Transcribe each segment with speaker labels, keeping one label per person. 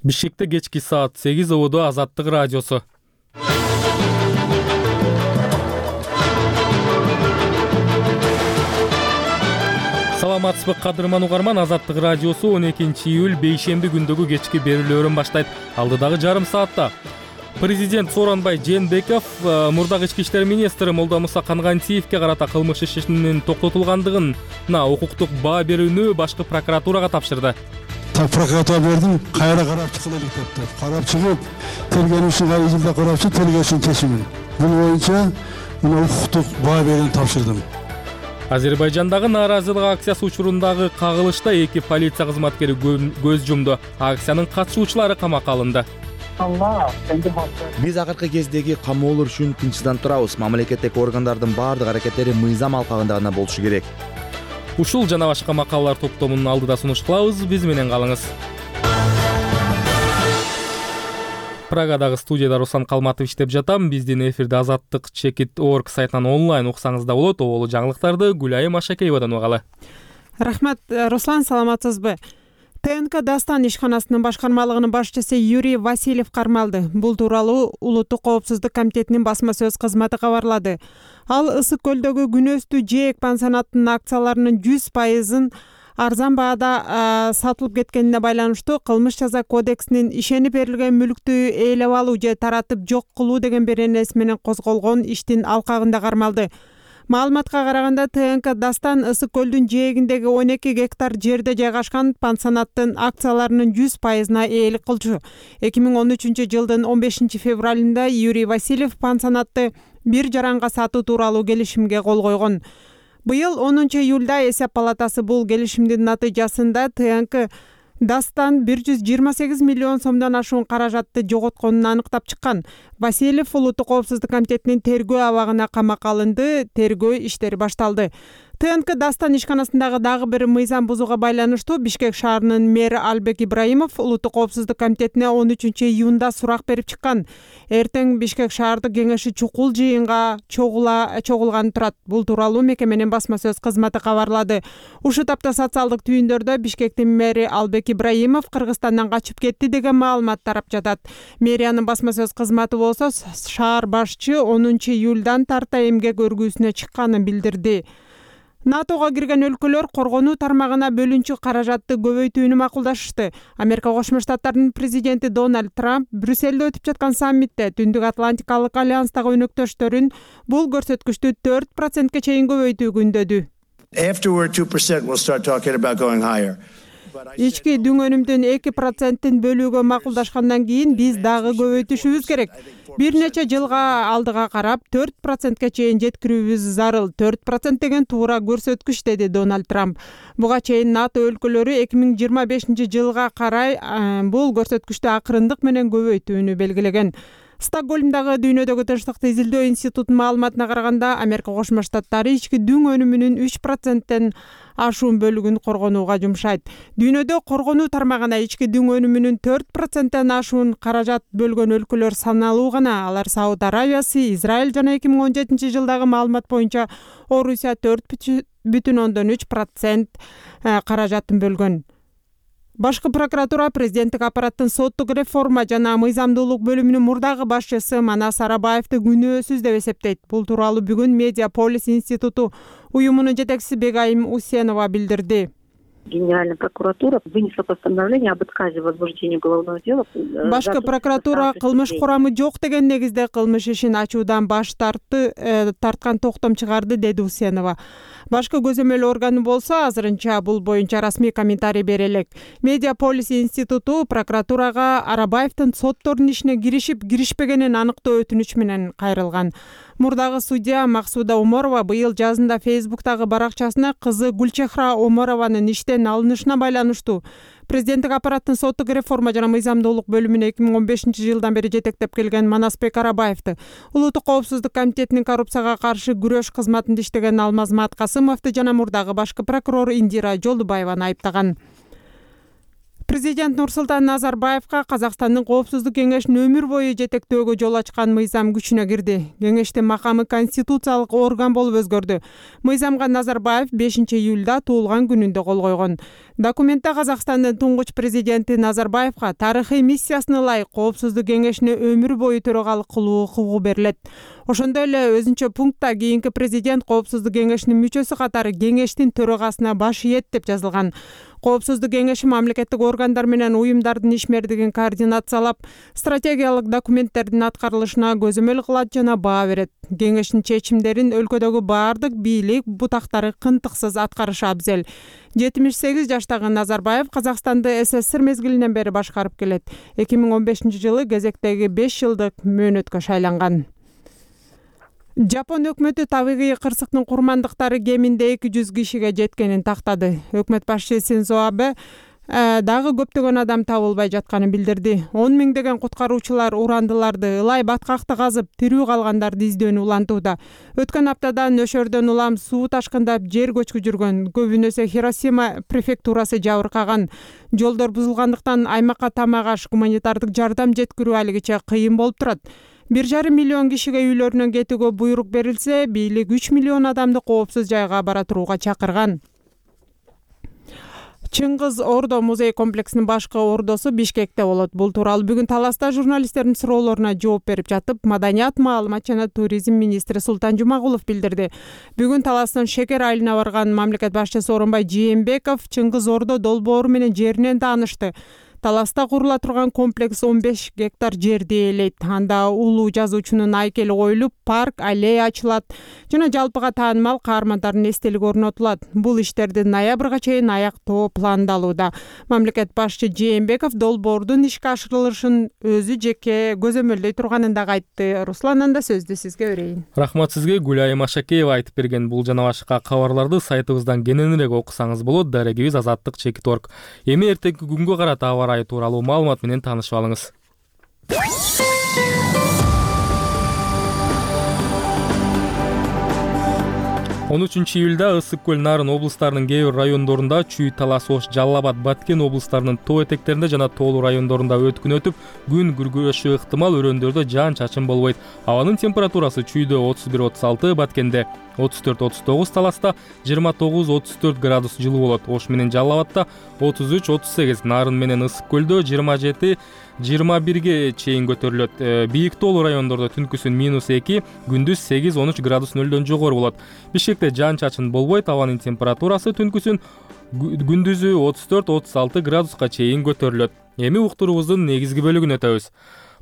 Speaker 1: Бишкекте кечки саат 8 убуду Азаттык радиосу. Саламатсызбы кадырман угарман, Азаттык радиосу 12-июль бейшемби күндөгү кечки берүүлөрүн баштайт. Алдыдагы жарым саатта Президент Сооронбай Жээнбеков мурдагы ички иштер министри Молдомуса Кангантиевке карата кылмыш ишинин токтотулгандыгына укуктук баа берүүнү башкы прокуратурага тапшырды.
Speaker 2: Прокуратура бердим, кайра карап чыгылып деп. Карап чыгып, тергөөчү кайра жылда карапчы, тергөөчүнүн чечими. Бул боюнча укуктук баа берүүнү тапшырдым.
Speaker 1: Азербайжандагы нааразылык акциясы учурундагы кагылышта 2 полиция кызматкери көз жумду. Акциянын катышуучулары камакка алынды.
Speaker 3: Биз акыркы кездеги камоолор үчүн тынчсызданып турабыз. Мамлекеттеги органдардын баардык аракеттери мыйзам алкагында гана болушу керек.
Speaker 1: Ушул жана башка макалалар топтомунун алдыда сунуш кылабыз. Биз менен калыңыз. Прагадагы студияда Руслан Калматов иштеп жатам. Биздин эфирде Азаттык.org сайтынан онлайн уксаңыз да болот. Оболу жаңылыктарды Гүлайым Ашакеевадан угалы.
Speaker 4: Рахмат, Руслан, саламатсызбы? ТНК Дастан ишканасынын башкармалыгынын башчысы Юрий Васильев кармалды. Бул тууралуу Улуттук коопсуздук комитетинин басма сөз кызматы кабарлады. Ал Ысык көлдөгү күнөстүү жээк пансионаттын акцияларынын 100%-ын арзан баада сатылып кеткенине байланыштуу кылмыш жаза кодексинин ишенип берилген мүлктү ээлеп алуу же таратып жок кылуу деген беренеси менен козголгон иштин алкагында кармалды. Маалыматка караганда ТНК Дастан Ысык көлдүн жээгиндеги 12 гектар жерде жайгашкан пансионаттын акцияларынын 100%-на ээлик кылчу. 2013 жылдын 15 февралында Юрий Васильев пансионатты бир жаранга сатуу тууралуу келишимге кол койгон. Быйыл 10 июлда эсеп палатасы бул келишимдин натыйжасында ТНК Дастан 128 миллион сомдон ашуун каражатты жоготконун аныктап чыккан. Васильев Улуттук коопсуздук комитетинин тергөө абагына камакка алынды. Тергөө иштери башталды. ТНК Дастан ишканасындагы дагы бир мыйзам бузууга байланыштуу Бишкек шаарынын мэри Албек Ибраимов Улуттук коопсуздук комитетине 13 июнда сурак берип чыккан. Эртең Бишкек шаардык кеңеши чукул жыйынга чогулганы турат. Бул тууралуу мекеменин басма сөз кызматы кабарлады. Ушул тапта социалдык түйүндөрдө Бишкектин мэри Албек Ибраимов Кыргызстандан качып кетти деген маалымат тарап жатат. Мэриянын басма сөз кызматы болсо шаар башчы 10 июлдан тарта эмгек өргүүсүнө чыкканын билдирди. НАТОга кирген өлкөлөр коргонуу тармагына бөлүнчү каражатты көбөйтүүнү макулдашышты. Америка Кошмо Штаттарынын президенти Дональд Трамп Брюссельде өтүп жаткан саммитте Түндүк Атлантикалык альянстагы өнөктөштөрүн бул көрсөткүчтү 4%ке чейин көбөйтүүгө үндөдү. Ички дүң өнүмдүн 2%-ин бөлүүгө макулдашкандан кийин биз дагы көбөйтүшүбүз керек. Бир нече жылга алдыга карап 4%ке чейин жеткирүүбүз зарыл. 4% деген туура көрсөткүч, деди Дональд Трамп. Буга чейин НАТО өлкөлөрү 2025 жылга карай бул көрсөткүчтү акырындык менен көбөйтүүнү белгилеген. Стокгольмдагы Дүйнөдөгү тынчтыкты изилдөө институтунун маалыматына караганда, Америка Кошмо Штаттары ички дүң өнүмүнүн 3%-тен ашуун бөлүгүн коргонууга жумшайт. Дүйнөдө коргонуу тармагына ички дүң өнүмүнүн 4%-тен ашуун каражат бөлгөн өлкөлөр саналуу гана. Алар Сауд Арабиясы, Израиль жана 2017 жылдагы маалымат боюнча Орусия 4,3% каражатын бөлгөн. Башкы прокуратура президенттик аппараттын соттук реформа жана мыйзамдуулук бөлүмүнүн мурдагы башчысы Манас Арабаевди күнөөсүз деп эсептейт. Бул тууралуу бүгүн Медиаполис институту уюмунун жетекчиси Бегайым Усенова билдирди.
Speaker 5: Генеральная прокуратура вынесла постановление об отказе в возбуждении уголовного дела.
Speaker 4: Башкы прокуратура кылмыш курамы жок деген негизде кылмыш ишин ачуудан баш тарткан токтом чыгарды, деди Усенова. Башкы көзөмөл органы болсо азырынча бул боюнча расмий комментарий бере элек. Медиаполис институту прокуратурага Арабаевдин соттордун ишине киришпегенин аныктоо өтүнүч менен кайрылган. Мурдагы судья Максуда Оморова быйыл жазында Фейсбуктагы баракчасына кызы Гүлчехра Оморованын иштен алынышына байланыштуу президенттик аппараттын соттук реформа жана мыйзамдуулук бөлүмүнө 2015 жылдан бери жетектеп келген Манасбек Арабаевди, Улуттук коопсуздук комитетинин коррупцияга каршы күрөш кызматында иштеген Алмазмат Касымовду жана мурдагы башкы прокурор Индира Жолдубаеваны айыптаган. Президент Нурсултан Назарбаевка Казакстандын Коопсуздук кеңешин өмүр бою жетектөөгө жол ачкан мыйзам күчүнө кирди. Кеңештин макамы конституциялык орган болуп өзгөрдү. Мыйзамга Назарбаев 5-июлда туулган күнүндө кол койгон. Документте Казакстандын туңгуч президенти Назарбаевка тарыхый миссиясына ылайык Коопсуздук кеңешине өмүр бою төрагалык кылуу укугу берилет. Ошондой эле өзүнчө пунктта кийинки президент Коопсуздук кеңешинин мүчөсү катары кеңештин төрагасына баш ийет деп жазылган. Коопсуздук кеңеши мамлекеттик органдар менен уюмдардын ишмердигин координациялап, стратегиялык документтердин аткарылышына көзөмөл кылат жана баа берет. Кеңештин чечимдерин өлкөдөгү баардык бийлик бутактары кынтыксыз аткарышы абзел. 78 жаштагы Назарбаев Казакстанды СССР мезгилинен бери башкарып келет. 2015-жылы кезектеги 5 жылдык мөөнөткө шайланган. Жапон өкмөтү табигый кырсыктын курмандыктары кеминде 200 кишиге жеткенин тактады. Өкмөт башчысы Синдзо Абе дагы көптөгөн адам табылбай жатканын билдирди. 10 миңдеген куткаруучулар урандыларды, ылай баткакты казып, тирүү калгандарды издөөнү улантууда. Өткөн аптада нөшөрдөн улам суу ташкындап, жер көчкү жүргөн. Көбүнөсү Хиросима префектурасы жабыркаган. Жолдор бузулгандыктан аймакка тамак-аш, гуманитардык жардам жеткирүү алигиче кыйын болуп турат. 1,5 миллион кишиге үйлөрүнөн кетүүгө буйрук берилсе, бийлик 3 миллион адамды коопсуз жайга бара турууга чакырган. Чыңгыз Ордо музей комплексинин башкы ордосу Бишкекте болот. Бул тууралуу бүгүн Таласта журналисттердин суроолоруна жооп берип жатып, Маданият, маалымат жана туризм министри Султан Жумагулов билдирди. Бүгүн Таластын Шекер айылына барган мамлекет башчысы Сооронбай Жээнбеков Чыңгыз Ордо долбоору менен жеринен таанышты. Таласта курула турган комплекс 15 гектар жерди ээлейт. Анда улуу жазуучунун айкели коюлуп, парк, аллея ачылат жана жалпыга таанымал каармандардын эстелиги орнотулат. Бул иштерди ноябрга чейин аяктоо пландалууда. Мамлекет башчы Жээнбеков долбоордун ишке ашырылышын өзү жеке көзөмөлдөй турганын дагы айтты. Руслан, анда сөздү сизге берейин.
Speaker 1: Рахмат сизге. Гүлайым Ашакеева айтып берген бул жана башка кабарларды сайтыбыздан кененирээк окусаңыз болот. Дарегибиз Азаттык.org. Эми эртеңки күнгө карата аба тууралуу маалымат менен таанышып алыңыз. 13 июлда Ысык көл, Нарын облустарынын кээ бир райондорунда, Чүй, Талас, Ош, Жалал Абад, Баткен облустарынын тоо этектеринде жана тоолуу райондорунда өткүн өтүп, күн күргөшү ыктымал, өрөөндөрдө жаан-чачын болбойт. Абанын температурасы Чүйдө 31-36, Баткенде 34-39, Таласта 29-34 градус жылуу болот. Ош менен Жалал Абадта 33-38, Нарын менен Ысык көлдө 27-21ге чейин көтөрүлөт. Бийик тоолуу райондордо түнкүсүн -2, күндүз 8-13 градус нөлдөн жогору болот. Бишкекте жаан-чачын болбойт. Абанын температурасы түнкүсүн күндүзү 34-36 градуска чейин көтөрүлөт. Эми уктуруубуздун негизги бөлүгүнө өтөбүз.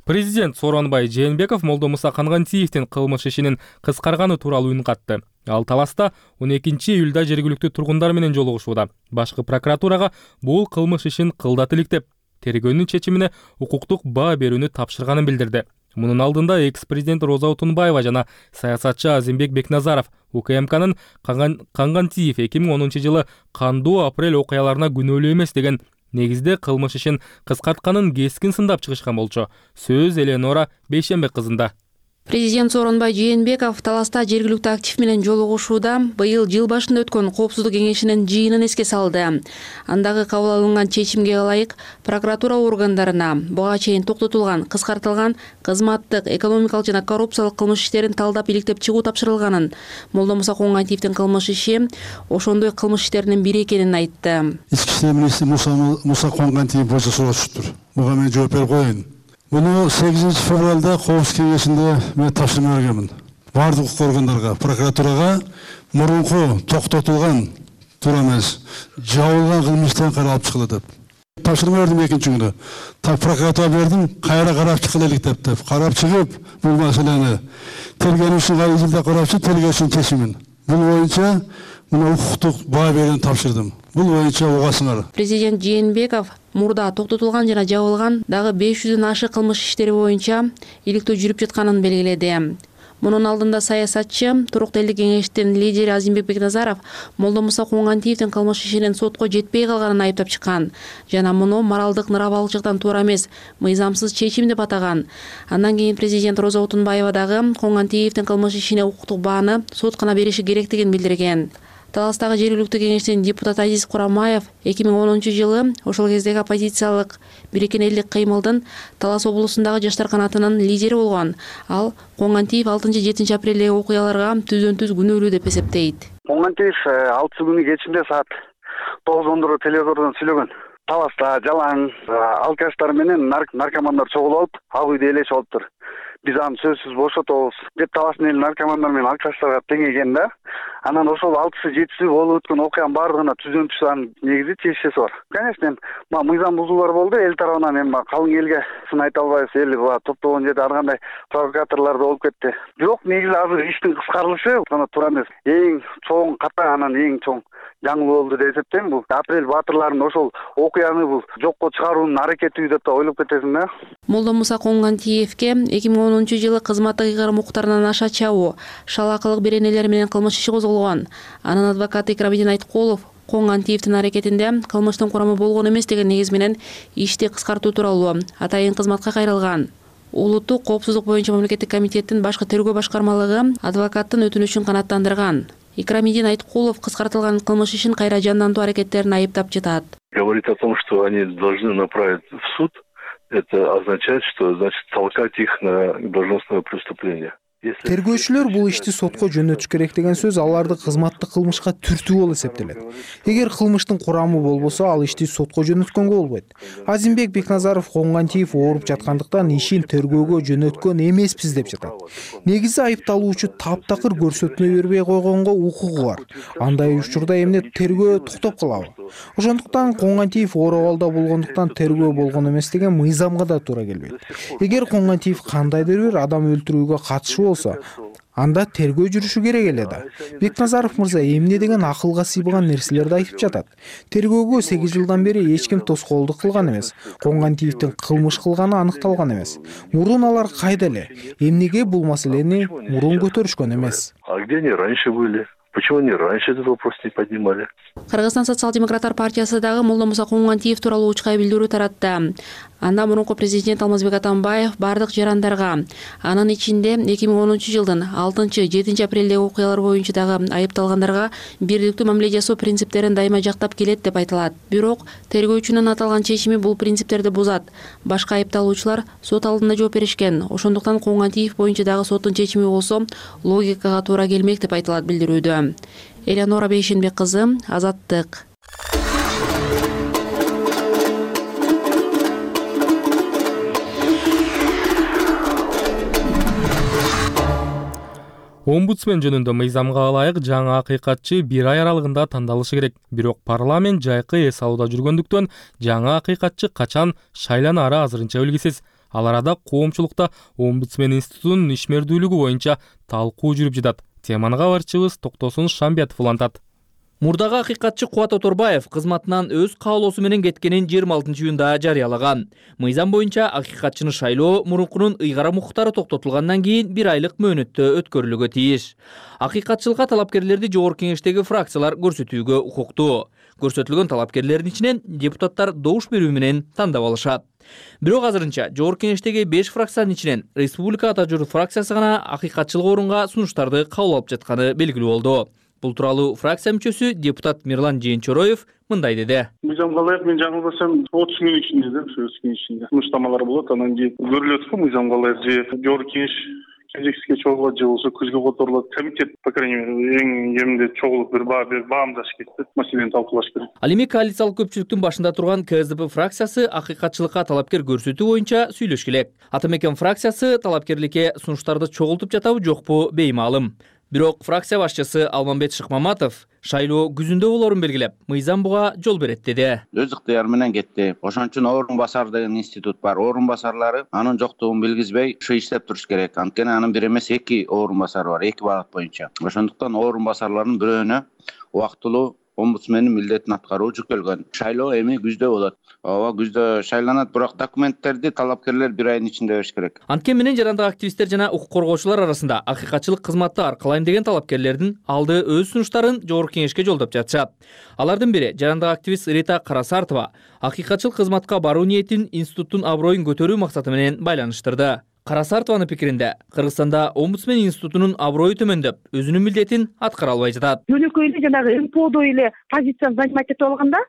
Speaker 1: Президент Сооронбай Жээнбеков Молдомуса Кангантиевдин кылмыш ишинин кыскарганы тууралуу үн катты. Ал Таласта 12 июлда жергиликтүү тургундар менен жолугушууда. Башкы прокуратурага бул кылмыш ишин кылдат иликтеп, тергөөнүн чечимине укуктук баа берүүнү тапшырганын билдирди. Мунун алдында экс-президент Роза Отунбаева жана саясатчы Азимбек Бекназаров УКМКнын Кангантиев 2010-жылы кандуу апрель окуяларына күнөөлүү эмес деген негизде кылмыш ишин кыскартканын кескин сындап чыгышкан болчу. Сөз Эленора Бейшембек кызында.
Speaker 6: Президент Сооронбай Жээнбеков Таласта жергиликтүү актив менен жолугушууда быйыл жыл башында өткөн Коопсуздук кеңешинин жыйынын эске салды. Андагы кабыл алынган чечимге ылайык прокуратура органдарына буга чейин токтотулган, кыскартылган кызматтык, экономикалык жана коррупциялык кылмыш иштерин талдап иликтеп чыгуу тапшырылганын, Молдомуса Кангантиевдин кылмыш иши ошондой кылмыш иштеринин бири экенин айтты.
Speaker 2: Ички иштер министри Муса Кангантиев болсо сурашыптыр. Буга мен жооп берип коеюн. Bunu 8 fevralda Коопсуздук кеңешинде мен тапшырма бергенмин. Бардык укук органдарга, прокуратурага мурунку токтотулган, туура эмес, жабылган кылмыштан каралып чыгыла деп. Тапшырма бердим экинчи күндө. Прокуратурага бердим, кайра карап чыгылайлык деп. Карап чыгып, бул маселени тергөөчү айылда карапчы тергөөчүнүн чечимин. Бул боюнча мына укуктук баа берүүнү тапшырдым. Бул боюнча угасыңар.
Speaker 6: Президент Жээнбеков мурда токтотулган жана жабылган дагы 500дөн ашык кылмыш иштери боюнча иликтөө жүрүп жатканын белгиледи. Мунун алдында саясатчы, Туруктуу элдик кеңештин лидери Азимбек Бекназаров Молдомуса Кангантиевдин кылмыш ишинин сотко жетпей калганын айыптап чыккан жана муну моралдык ныравалычылыктан туура эмес, мыйзамсыз чечим деп атаган. Андан кийин президент Роза Отунбаева дагы Кангантиевдин кылмыш ишине укуктук бааны соткана бериши керектигин билдирген. Таластагы жергиликтүү кеңештин депутаты Азиз Курамаев 2010-жылы ошол кездеги оппозициялык Бириккен элдик кыймылдын Талас облусундагы жаштар канатынын лидери болгон. Ал Коңгантиев 6-7 апрелдеги окуяларга түздөн-түз күнөөлүү деп эсептейт.
Speaker 7: Коңгантиев 6 күнү кечинде саат 9 телевизордон сүйлөгөн. Таласта жалаң алкаштар менен наркомандар чогулуп алып, ак үйдө элешип алыптыр. Биз аны сөзсүз бошотобуз деп Таластын эли наркомандар менен алкаштарга тең экен да. Анан ошол 6-7 болуп өткөн окуянын баардыгына түздөн-түз анын негизи тиешеси бар. Конечно, мыйзам бузуулар болду, эл тарабынан эми калың элге сын айта албайбыз, эл топтогон жерде ар кандай провокаторлор да болуп кетти. Бирок негизи азыр иштин кыскарылышы гана туура эмес. Эң чоң ката, анан эң чоң жаңылык болду деп эсептейм. Бул апрель баатырларынын ошол окуяны бул жокко чыгаруунун аракети деп да ойлоп кетесиң да.
Speaker 6: Молдомуса Коңгантиевке 2010-жылы кызматтык ыйгарым укуктарынан аша чабуу, шалакылык беренелер менен кылмыш иши козголгон. Анын адвокаты Икрамидин Айткулов Коңгантиевдин аракетинде кылмыштын курамы болгон эмес деген негиз менен ишти кыскартуу тууралуу атайын кызматка кайрылган. Улуттук коопсуздук боюнча мамлекеттик комитеттин башкы тергөө башкармалыгы адвокаттын өтүнүчүн канааттандырган. Икрамидин Айткулов кыскартылган кылмыш ишин кайра жандантуу аракеттерин айыптап жатат.
Speaker 8: Говорит о том, что они должны направить в суд, это означает, что толкать их на должностное преступление.
Speaker 9: Тергөөчүлөр бул ишти сотко жөнөтүш керек деген сөз аларды кызматтык кылмышка түртүү болуп эсептелет. Эгер кылмыштын курамы болбосо, ал ишти сотко жөнөткөнгө болбойт. Азимбек Бекназаров Коңгантиев ооруп жаткандыктан ишин тергөөгө жөнөткөн эмеспиз деп жатат. Негизи айыпталуучу таптакыр көрсөтмө бербей койгонго укугу бар. Андай учурда эмне тергөө токтоп калабы? Ошондуктан Коңгантиев ооруп абалда болгондуктан тергөө болгон эмес деген мыйзамга да туура келбейт. Эгер Коңгантиев кандайдыр бир адам өлтүрүүгө катышы болсо, анда тергөө жүрүшү керек эле да. Бекназаров мырза эмне деген акылга сыйбаган нерселерди айтып жатат. Тергөөгө 8 жылдан бери эч ким тоскоолдук кылган эмес. Коңгантиевдин кылмыш кылганы аныкталган эмес. Мурун алар кайда эле? Эмнеге бул маселени мурун көтөрүшкөн эмес?
Speaker 8: А где они раньше были? Почему они раньше этот вопрос не поднимали?
Speaker 6: Кыргызстан социал-демократтар партиясы дагы Молдомуса Коңгантиев тууралуу учкай билдирүү таратты. Анда мурунку президент Алмазбек Атамбаев бардык жарандарга, анын ичинде 2010-жылдын 6-7 апрелдеги окуялар боюнча дагы айыпталгандарга бирликтүү мамиле жасоо принциптерин дайыма жактап келет деп айтылат. Бирок тергөөчүнүн аталган чечими бул принциптерди бузат. Башка айыпталуучулар сот алдында жооп беришкен. Ошондуктан Коңгантиев боюнча дагы соттун чечими болсо логикага туура келмек деп айтылат билдирүүдө. Элеонора Бейшенбек кызы, Азаттык.
Speaker 1: Омбудсмен жөнүндө мыйзамга ылайык жаңы акыйкатчы 1 ай аралыгында тандалышы керек. Бирок парламент жайкы эс алууда жүргөндүктөн жаңы акыйкатчы качан шайланары азырынча белгисиз. Ал арада коомчулукта омбудсмен институтунун ишмердүүлүгү боюнча талкуу жүрүп жатат. Теманы кабарчыбыз Токтосун Шамбиятов улантат.
Speaker 10: Мурдагы акыйкатчы Кубат Оторбаев кызматынан өз каалоосу менен кеткенин 26-июнда жарыялаган. Мыйзам боюнча акыйкатчыны шайлоо мурункунун ыйгарым укуктары токтотулгандан кийин 1 айлык мөөнөттө өткөрүлүүгө тийиш. Акыйкатчылыкка талапкерлерди жогорку кеңештеги фракциялар көрсөтүүгө укуктуу. Көрсөтүлгөн талапкерлердин ичинен депутаттар добуш берүү менен тандап алышат. Бирок азырынча жогорку кеңештеги 5 фракциянын ичинен Республика Ата журт фракциясы гана акыйкатчылык орунга сунуштарды кабыл алып жатканы белгилүү болду. Бул тууралуу фракция мүчөсү депутат Мирлан Жээнчороев мындай деди.
Speaker 11: Мыйзамга ылайык мен жаңылбасам 30 күн ичинде да сунуштамалар болот, анан кийин көрүлөт го мыйзамга ылайык же жогорку кеңеш кезексизге чогулат же болбосо күзгө которулат. Комитет, по крайней мере, эң кеминде чогулуп бир баамдаш керек, маселени талкуулаш керек.
Speaker 10: Ал эми коалициялык көпчүлүктүн башында турган КСДП фракциясы акыйкатчылыкка талапкер көрсөтүү боюнча сүйлөшүш керек. Ата мекен фракциясы талапкерликке сунуштарды чогултуп жатабы жокпу беймаалым. Бирок фракция башчысы Алмамбет Шыкмаматов шайлоо күзүндө болорун белгилеп, мыйзам буга жол берет деди.
Speaker 12: Өз ыктыяры менен кетти. Ошон үчүн орун басар деген институт бар. Орун басарлары анын жоктугун билгизбей ушу иштеп туруш керек. Анткени анын бир эмес 2 орун басары бар, 2 багыт боюнча. Ошондуктан орун басарларынын бирөөнө убактылуу омбудсмендин милдетин аткаруу жүктөлгөн. Шайлоо эми күздө болот. Ооба, күздө шайланат, бирок документтерди талапкерлер 1 айдын ичинде бериш керек.
Speaker 10: Анткени менен жарандык активисттер жана укук коргоочулар арасында акыйкатчылык кызматты аркалайм деген талапкерлердин алды өз сунуштарын жогорку кеңешке жолдоп жатышат. Алардын бири жарандык активист Рита Карасартова акыйкатчылык кызматка баруу ниетин институттун аброюн көтөрүү максаты менен байланыштырды. Карасартованын пикиринде Кыргызстанда омбудсмен институтунун аброю төмөндөп, өзүнүн милдетин аткара албай жатат.
Speaker 5: Жөнөкөй эле жанагы МПОдо эле позицияны занимать этип алганда,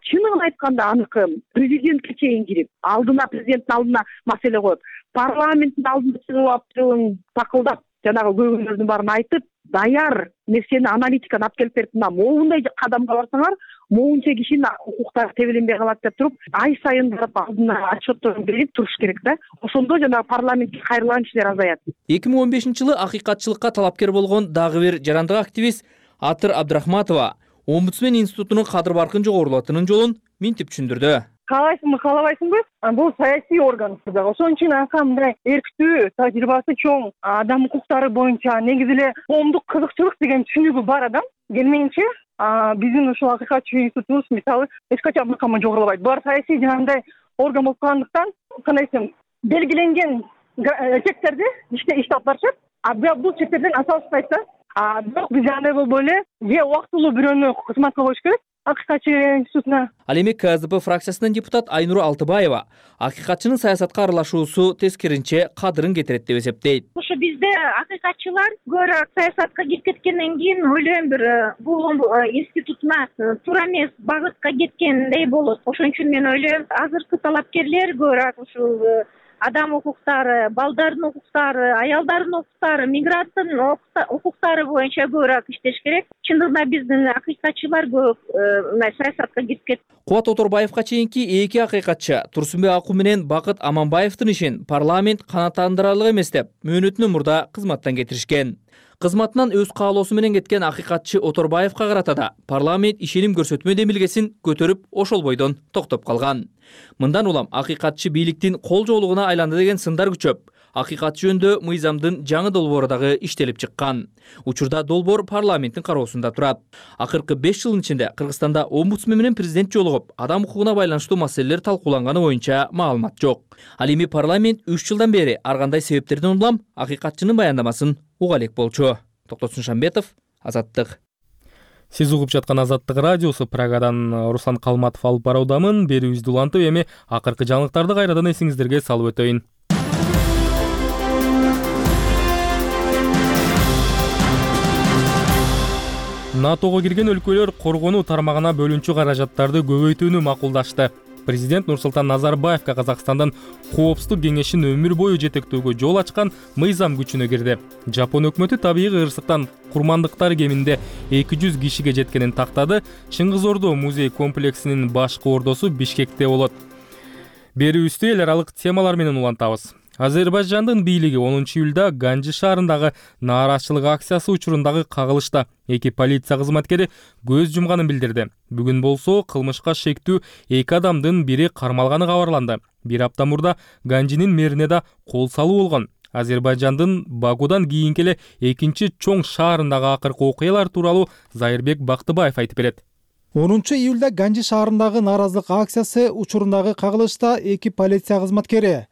Speaker 5: чынын айтканда аныкы президентке чейин кирип, президенттин алдына маселе коюп, парламенттин алдына чыгып алып такылдап, жанагы көйгөйлөрдүн баарын айтып, даяр нерсени аналитиканы алып келип берип, моундай кадамга барсаңар, моунча кишинин укуктары тебеленбей калат деп туруп, ай сайын барып алдына отчетторун берип туруш керек да. Ошондо жанагы парламентке кайрылган кишилер азаят.
Speaker 10: 2015-жылы акыйкатчылыкка талапкер болгон дагы бир жарандык активист Атыр Абдрахматова омбудсмен институтунун кадыр баркын жогорулатынын жолун минтип түшүндүрдү.
Speaker 13: Каалайсыңбы, каалабайсыңбы? Бул саясий орган. Ошон үчүн анка мындай эрктүү, тажрыйбасы чоң адам укуктары боюнча негизи эле коомдук кызыкчылык деген түшүнүгү бар адам келмейинче биздин ушул акыйкатчы институтубуз мисалы эч качан мыкамы жогорулабайт. Булар саясий жанагындай орган болуп калгандыктан, кандай десем, белгиленген чектерди иште алып барышат. Бирок бул чектерден аса ашпайт да. Бирок биз андай болбой эле же убактылуу бирөөнү кызматка коюш керек. Акыйкатчы институтуна.
Speaker 10: Ал эми КСДП фракциясынын депутат Айнура Алтыбаева акыйкатчынын саясатка аралашуусу тескеринче кадырын кетирет деп эсептейт.
Speaker 14: Ошо бизде акыйкатчылар көбүрөөк саясатка кирип кеткенден кийин ойлойм бир бул институтуна туура эмес багытка кеткендей болот. Ошон үчүн мен ойлойм, азыркы талапкерлер көбүрөөк ушул адам укуктары, балдардын укуктары, аялдардын укуктары, мигранттын укуктары боюнча көбүрөөк иштеш керек. Чындыгында биздин акыйкатчылар көп саясатка кирип кетти.
Speaker 10: Кубат Оторбаевка чейинки эки акыйкатчы Турсунбек Аку менен Бакыт Аманбаевдин ишин парламент канааттандырарлык эмес деп мөөнөтүнөн мурда кызматтан кетиришкен. Кызматынан өз каалоосу менен кеткен акыйкатчы Оторбаевка карата да парламент ишеним көрсөтмө демилгесин көтөрүп ошол бойдон токтоп калган. Мындан улам акыйкатчы бийликтин кол жоолугуна айланды деген сындар күчөп, акыйкатчы жөнүндө мыйзамдын жаңы долбоору дагы иштелип чыккан. Учурда долбоор парламенттин кароосунда турат. Акыркы 5 жылдын ичинде Кыргызстанда омбудсмен менен президент жолугуп, адам укугуна байланыштуу маселелер талкууланганы боюнча маалымат жок. Ал эми парламент 3 жылдан бери ар кандай себептерден улам акыйкатчынын баяндамасын уга элек болчу. Токтосун Шамбетов, Азаттык.
Speaker 1: Сиз угуп жаткан Азаттык радиосу. Прагадан Руслан Калматов алып баруудамын. Берүүбүздү улантып, эми акыркы жаңылыктарды кайрадан эсиңиздерге салып өтөйүн. НАТОго кирген өлкөлөр коргонуу тармагына бөлүнчү каражаттарды көбөйтүүнү макулдашты. Президент Нурсултан Назарбаевка Казакстандын Коопсуздук кеңешин өмүр бою жетектөөгө жол ачкан мыйзам күчүнө кирди. Жапон өкмөтү табигый кырсыктан курмандыктар кеминде 200 кишиге жеткенин тактады. Чыңгыз Ордо музей комплексинин башкы ордосу Бишкекте болот. Берүүбүздү эл аралык темалар менен улантабыз. Азербайжандын бийлиги 10-июлда Ганжи шаарындагы нааразычылык акциясы учурундагы кагылышта 2 полиция кызматкери көз жумганын билдирди. Бүгүн болсо кылмышка шектүү 2 адамдын бири кармалганы кабарланды. Бир апта мурда Ганжинин мэрине да кол салуу болгон. Азербайжандын Бакудан кийинки эле экинчи чоң шаарындагы акыркы окуялар тууралуу Зайырбек Бактыбаев айтып берет.
Speaker 9: 10-июлда Ганжи шаарындагы нааразылык акциясы учурундагы кагылышта 2 полиция кызматкери,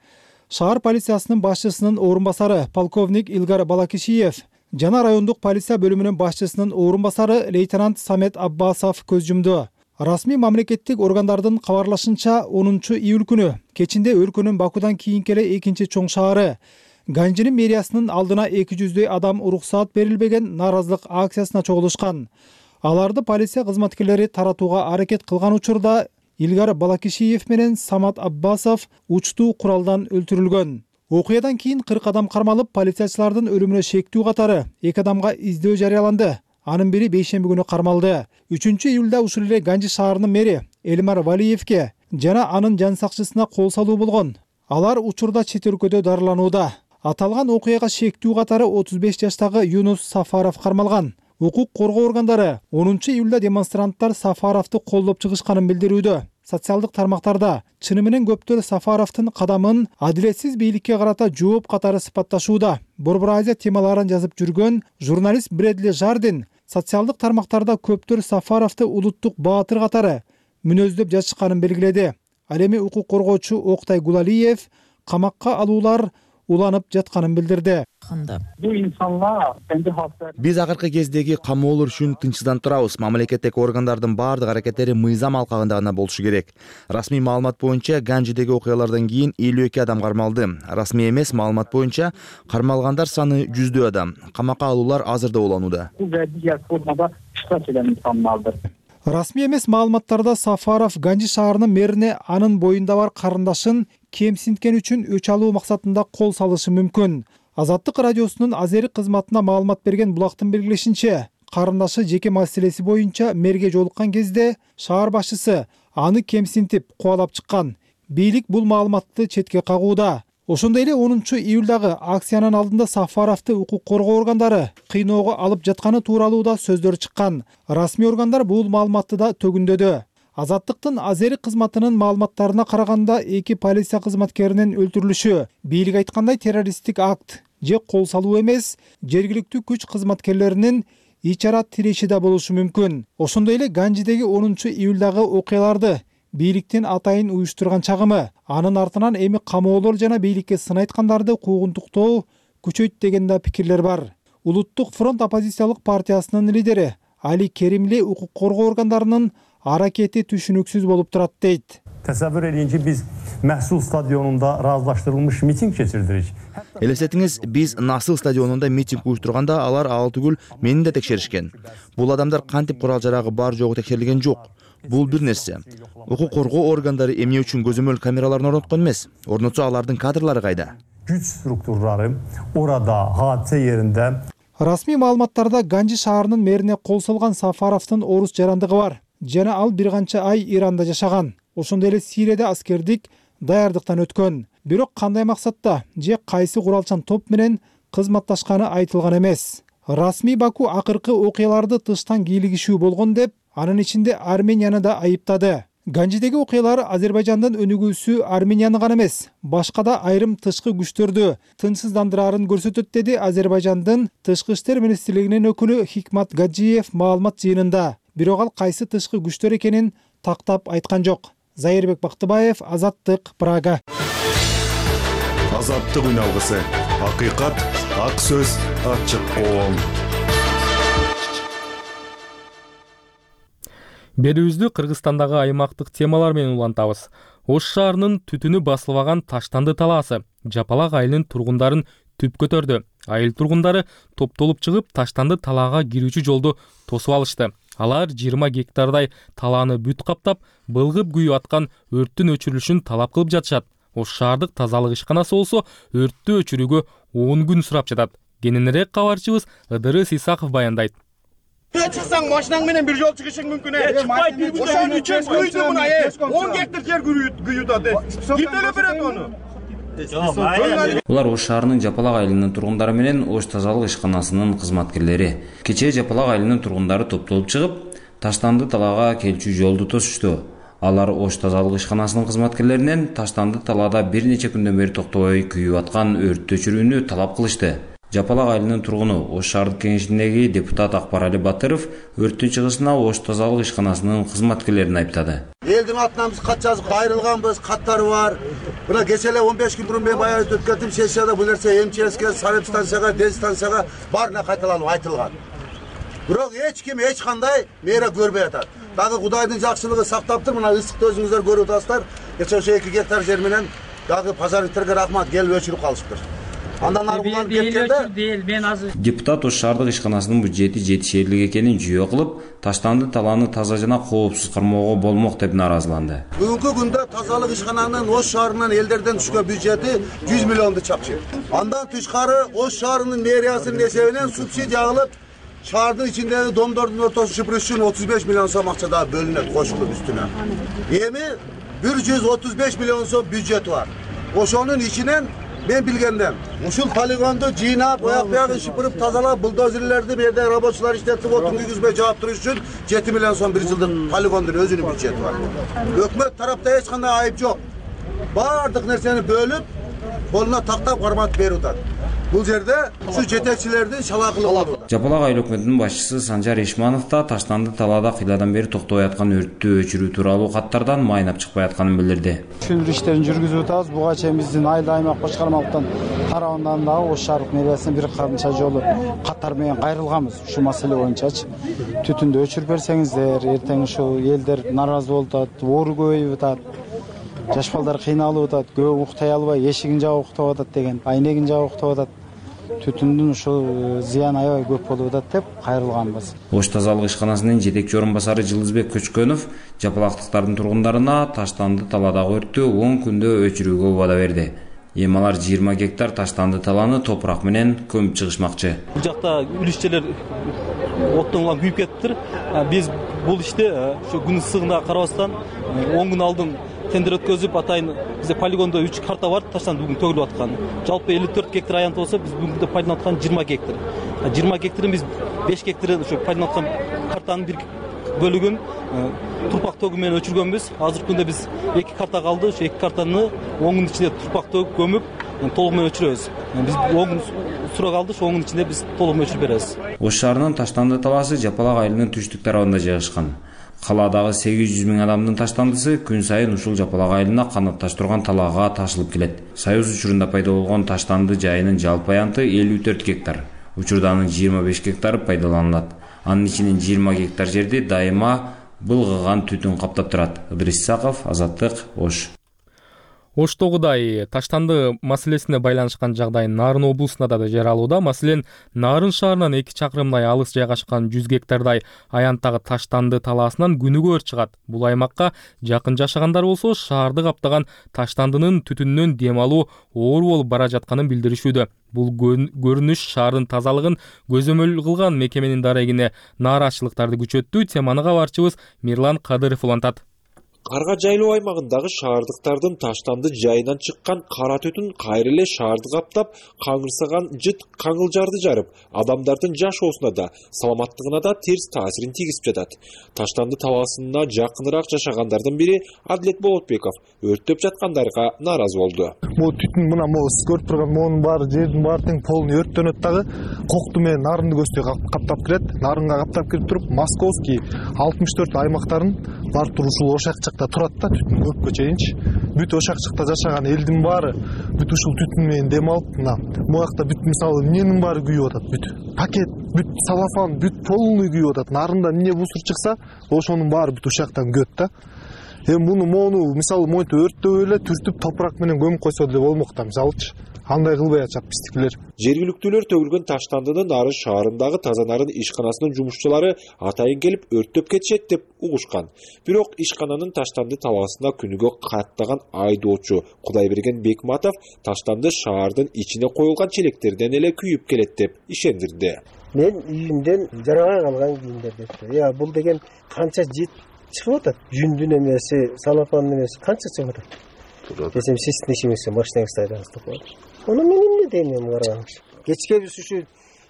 Speaker 9: шаар полициясынын башчысынын орун басары полковник Илгар Балакишиев жана райондук полиция бөлүмүнүн башчысынын орун басары лейтенант Самет Аббасов көз жумду. Расмий мамлекеттик органдардын кабарлашынча 10-июль күнү кечинде өлкөнүн Бакудан кийинки эле экинчи чоң шаары Ганжинин мэриясынын алдына 200дөй адам уруксаат берилбеген нааразылык акциясына чогулушкан. Аларды полиция кызматкерлери таратууга аракет кылган учурда Илгар Балакишиев менен Самат Аббасов учтуу куралдан өлтүрүлгөн. Окуядан кийин 40 адам кармалып, полициячылардын өлүмүнө шектүү катары 2 адамга издөө жарыяланды. Анын бири бейшемби күнү кармалды. 3-июлда ушул эле Ганжи шаарынын мэри Элмар Валиевке жана анын жан сакчысына кол салуу болгон. Алар учурда чет өлкөдө дарыланууда. Аталган окуяга шектүү катары 35 жаштагы Юнус Сафаров кармалган. Укук коргоо органдары 10-июлда демонстранттар Сафаровду колдоп чыгышканын билдирүүдө. Социалдык тармактарда чыны менен көптөр Сафаровдун кадамын адилетсиз бийликке карата жооп катары сыпатташууда. Борбор Азия темаларын жазып жүргөн журналист Брэдли Жардин социалдык тармактарда көптөр Сафаровду улуттук баатыр катары мүнөздөп жазышканын белгиледи. Ал эми укук коргоочу Октай Гулалиев камакка алуулар уланып жатканын билдирди.
Speaker 3: Биз акыркы кездеги камоолор үчүн тынчсызданып турабыз. Мамлекеттеги органдардын баардык аракеттери мыйзам алкагында гана болушу керек. Расмий маалымат боюнча Ганжидеги окуялардан кийин 52 адам кармалды. Расмий эмес маалымат боюнча кармалгандар саны 100 адам. Камакка алуулар азырда уланууда.
Speaker 9: Расмий эмес маалыматтарда Сафаров Ганжи шаарынын мэрине анын боюнда бар карындашын кемсинткен үчүн өч алуу максатында кол салышы мүмкүн. Азаттык радиосунун Азерик кызматына маалымат берген Булактын белгилешинче, карындашы жеке маселеси боюнча мэрге жолуккан кезде шаар башчысы аны кемсинтип кубалап чыккан. Бийлик бул маалыматты четке кагууда. Ошондой эле 10-июлдагы акциянын алдында Сафаровду укук коргоо органдары кыйноого алып жатканы тууралуу да сөздөр чыккан. Расмий органдар бул маалыматты да төгүндөдү. Азаттыктын Азерик кызматынын маалыматтарына караганда 2 полиция кызматкеринин өлтүрүлүшү бийлик айткандай террористтик акт же кол салуу эмес, жергиликтүү күч кызматкерлеринин ичара тиреши да болушу мүмкүн. Ошондой эле Ганжидеги 10-июлдагы окуяларды бийликтин атайын уюштурган чагымы, анын артынан эми камоолор жана бийликке сын айткандарды куугунтуктоо күчөйт деген да пикирлер бар. Улуттук фронт оппозициялык партиясынын лидери Али Керимли укук коргоо органдарынын аракети түшүнүксүз болуп турат дейт.
Speaker 15: Təsəvvür edin ki, biz Məhsul stadionunda razılaşdırılmış miting keçirdirik.
Speaker 3: Элестетиңиз, биз Насыл стадионунда митинг уюштурганда алар ал түгүл мени да текшеришкен. Бул адамдар кантип курал-жарагы бар жогу текшерилген жок. Бул бир нерсе. Укук коргоо органдары эмне үчүн көзөмөл камераларын орноткон эмес? Орнотсо алардын кадрлары кайда?
Speaker 15: Güç strukturları orada, hadise yerinde.
Speaker 9: Расмий маалыматтарда Ганжи шаарынын мэрине кол салган Сафаровдун орус жарандыгы бар. Жана ал бир канча ай Иранда жашаган. Ошондой эле Сирияда аскердик даярдыктан өткөн. Бирок кандай максатта же кайсы куралчан топ менен кызматташканы айтылган эмес. Расмий Баку акыркы окуяларды тыштан кийлигишүү болгон деп, анын ичинде Арменияны да айыптады. Ганжидеги окуялар Азербайжандын өнүгүүсү Арменияны гана эмес, башка да айрым тышкы күчтөрдү тынчсыздандырарын көрсөтөт, деди Азербайжандын тышкы иштер министрлигинин өкүлү Хикмат Гаджиев маалымат жыйынында. Бирок ал кайсы тышкы күчтөр экенин тактап айткан жок. Зайырбек Бактыбаев, Азаттык, Прага.
Speaker 16: Азаттык үналгысы. Акыйкат, ак сөз, ачык коом.
Speaker 1: Берүүбүздү Кыргызстандагы аймактык темалар менен улантабыз. Ош шаарынын түтүнү басылбаган Таштанды талаасы Жапалак айылынын тургундарын түп көтөрдү. Айыл тургундары топтолуп чыгып, Таштанды талаага кирүүчү жолду тосуп алышты. Алар 20 гектардай талааны бүт каптап, былгып күйүп аткан өрттүн өчүрүлүшүн талап кылып жатышат. Ош шаардык тазалык ишканасы болсо өрттү өчүрүүгө 10 күн сурап жатат. Кененирээк кабарчыбыз Ыдырыс Исаков баяндайт.
Speaker 17: Чыксаң машинаң менен бир жол чыгышың мүмкүн. Ошон үчүн күйдү мына 10 гектар жер күйүп атат. Ким төлөп берет ону?
Speaker 18: Булар Ош шаарынын Жапалак айылынын тургундары менен Ош тазалык ишканасынын кызматкерлери. Кечээ Жапалак айылынын тургундары топтолуп чыгып, Таштанды талаага келчү жолду тосушту. Алар Ош тазалык ишканасынын кызматкерлеринен Таштанды талаада бир нече күндөн бери токтобой күйүп аткан өрттү өчүрүүнү талап кылышты. Жапалак айылынын тургуну Ош шаардык кеңешиндеги депутат Акбарали Батыров өрттүн чыгышына Ош тазалык ишканасынын кызматкерлерин айыптады.
Speaker 19: Элдин атынан биз кат жазып кайрылганбыз, каттары бар. Мына кечээ эле 15 күн мурун мен баягы өткөрдүм сессияда бул нерсе МЧСке, санэпстанцияга, дезстанцияга баарына кайталанып айтылган. Бирок эч ким эч кандай мера көрбөй атат. Дагы Кудайдын жакшылыгы сактаптыр, мына ысыкты өзүңүздөр көрүп атасыздар. Кечээ ошо 2 гектар жер менен дагы пожарниктерге рахмат келип өчүрүп калышыптыр. Андан ары уланып кеткенде
Speaker 18: депутат Ош шаардык ишканасынын бюджети жетишерлик экенин жүйө кылып, Таштанды талааны таза жана коопсуз кармоого болмок деп наразыланды.
Speaker 19: Бүгүнкү күндө тазалык ишкананын Ош шаарынан элдерден түшкөн бюджети 100 миллионду чапчы. Андан тышкары Ош шаарынын мэриясынын эсебинен субсидия алып, шаардын ичиндеги домдордун ортосун шыпырыш үчүн 35 миллион сом акча да бөлүнөт кошулуп үстүнө. Эми 135 миллион сом бюджети бар. Ошонун ичинен мен билгенден ушул полигонду жыйнап, аяк биягын шыпырып тазалап, булдозерлерди бу жерде рабочилар иштетип, отун күйгүзбөй жаап туруш үчүн 7 миллион сом бир жылдык полигондун өзүнүн бюджети бар. Өкмөт тарапта эч кандай айып жок. Бардык нерсени бөлүп, колуна тактап карматып берип атат. бул жерде ушу жетекчилердин шалакылыгы болот.
Speaker 18: Жапалак айыл өкмөтүнүн башчысы Санжар Ишманов да Таштанды талаада кыйладан бери токтобой аткан өрттү өчүрүү тууралуу каттардан майнап чыкпай атканын билдирди.
Speaker 20: Түшүндүрүү иштерин жүргүзүп атабыз. Буга чейин биздин айыл аймак башкармалыктан тарабынан дагы Ош шаардык мэриясына бир канча жолу каттар менен кайрылганбыз ушул маселе боюнчачы. Түтүндү өчүрүп берсеңиздер, эртең ушул элдер нааразы болуп атат, оору көбөйүп атат. Жаш балдар кыйналып атат, көп уктай албай эшигин жаап уктап атат деген, айнегин жаап уктап атат. Түтүндүн ушул зыяны аябай көп болуп атат деп кайрылганбыз.
Speaker 18: Ош тазалык ишканасынын жетекчи орун басары Жылдызбек Көчкөнов жапалактыктардын тургундарына Таштанды талаадагы өрттү 10 күндө өчүрүүгө убада берди. Эми алар 20 гектар Таштанды талааны топурак менен көмүп чыгышмакчы.
Speaker 21: Бул жакта үлүшчелер оттон улам күйүп кетиптир. Биз бул иште ушу күн ысыгына карабастан 10 күн алдын тендер өткөзүп атайын бизде полигондо 3 карта бар, Таштанды бүгүн төгүлүп аткан. Жалпы 54 гектар аянт болсо, биз бүгүнкү пайдаланып аткан 20 гектар. 20 гектарын биз 5 гектарын ушу пайдаланып аткан картанын бир бөлүгүн турпак төгүү менен өчүргөнбүз. Азыркы күндө биз 2 карта калды. Ушу 2 картаны 10 күн ичинде турпак төгүп көмүп, толук менен өчүрөбүз. Биз 10 күн сура калды, ошол 10 күн ичинде биз толук менен өчүрүп беребиз.
Speaker 18: Ош шаарынын Таштанды талаасы Жапалак айылынын түштүк тарабында жайгашкан. Калаадагы 800 миң адамдын таштандысы күн сайын ушул Жапалак айылына канатташтырган талаага ташылып келет. Союз учурунда пайда болгон Таштанды жайынын жалпы аянты 54 гектар. Учурда анын 25 гектары пайдаланылат. Анын ичинен 20 гектар жерди дайыма былгыган түтүн каптап турат. Ыдырыс Исаков, Азаттык, Ош.
Speaker 1: Оштогудай Таштанды маселесине байланышкан жагдай Нарын облусунда да жаралууда. Маселен, Нарын шаарынан 2 чакырымдай алыс жайгашкан 100 гектардай аянттагы Таштанды талаасынан күнүгө өрт чыгат. Бул аймакка жакын жашагандар болсо, шаарды каптаган Таштандынын түтүнүнөн дем алуу оор болуп бара жатканын билдиришүүдө. Бул көрүнүш шаардын тазалыгын көзөмөл кылган мекеменин дарегине нааразычылыктарды күчөттү. Теманы кабарчыбыз Мирлан Кадыров улантат.
Speaker 22: Карга жайлоо аймагындагы шаардыктардын Таштанды жайынан чыккан кара түтүн кайра эле шаарды каптап, каңырсаган жыт каңылжарды жарып, адамдардын жашоосуна да, саламаттыгына да терс таасирин тийгизип жатат. Таштанды талаасына жакыныраак жашагандардын бири Адилет Болотбеков өрттөп жаткандарга нааразы болду.
Speaker 23: Бул түтүн мына сиз көрүп турган моунун баары, жердин баары тең полный өрттөнөт дагы. Кокту менен Нарынды көздөй каптап кирет. Нарынга каптап кирип туруп, Московский 64 аймактарын бар турушул ошакчыкта турат да, түтүн көпкө чейинчи. Бүт ошакчыкта жашаган элдин баары бүт ушул түтүн менен дем алып, мына буякта бүт мисалы эмненин баары күйүп атат, бүт пакет, бүт салафан, бүт полный күйүп атат. Нарында эмне бусур чыкса, ошонун баары бүт ушактан күйөт да. Эми моуну мисалы монтип өрттөп эле түртүп топурак менен көмүп койсо деле болмок да, мисалычы. Андай кылбай атышат биздикилер.
Speaker 22: Жергиликтүүлөр төгүлгөн Таштандынын Нарын шаарындагы таза нарын ишканасынын жумушчулары атайын келип өрттөп кетишет деп угушкан. Бирок ишкананын Таштанды талаасына күнүгө каттаган айдоочу Кудайберген Бекматов Таштанды шаардын ичине коюлган челектерден эле күйүп келет деп ишендирди.
Speaker 24: Мен үйүмдөн жарабай калган кийимдер бул деген канча жит чыгып атат. Жүндүн эмеси, салафандын эмеси канча чыгып атат. Десем сиздин ишиңизге машинаңызды айдаңыз деп коет. Оны мен эмне дейм караңыз. Кечке биз ушу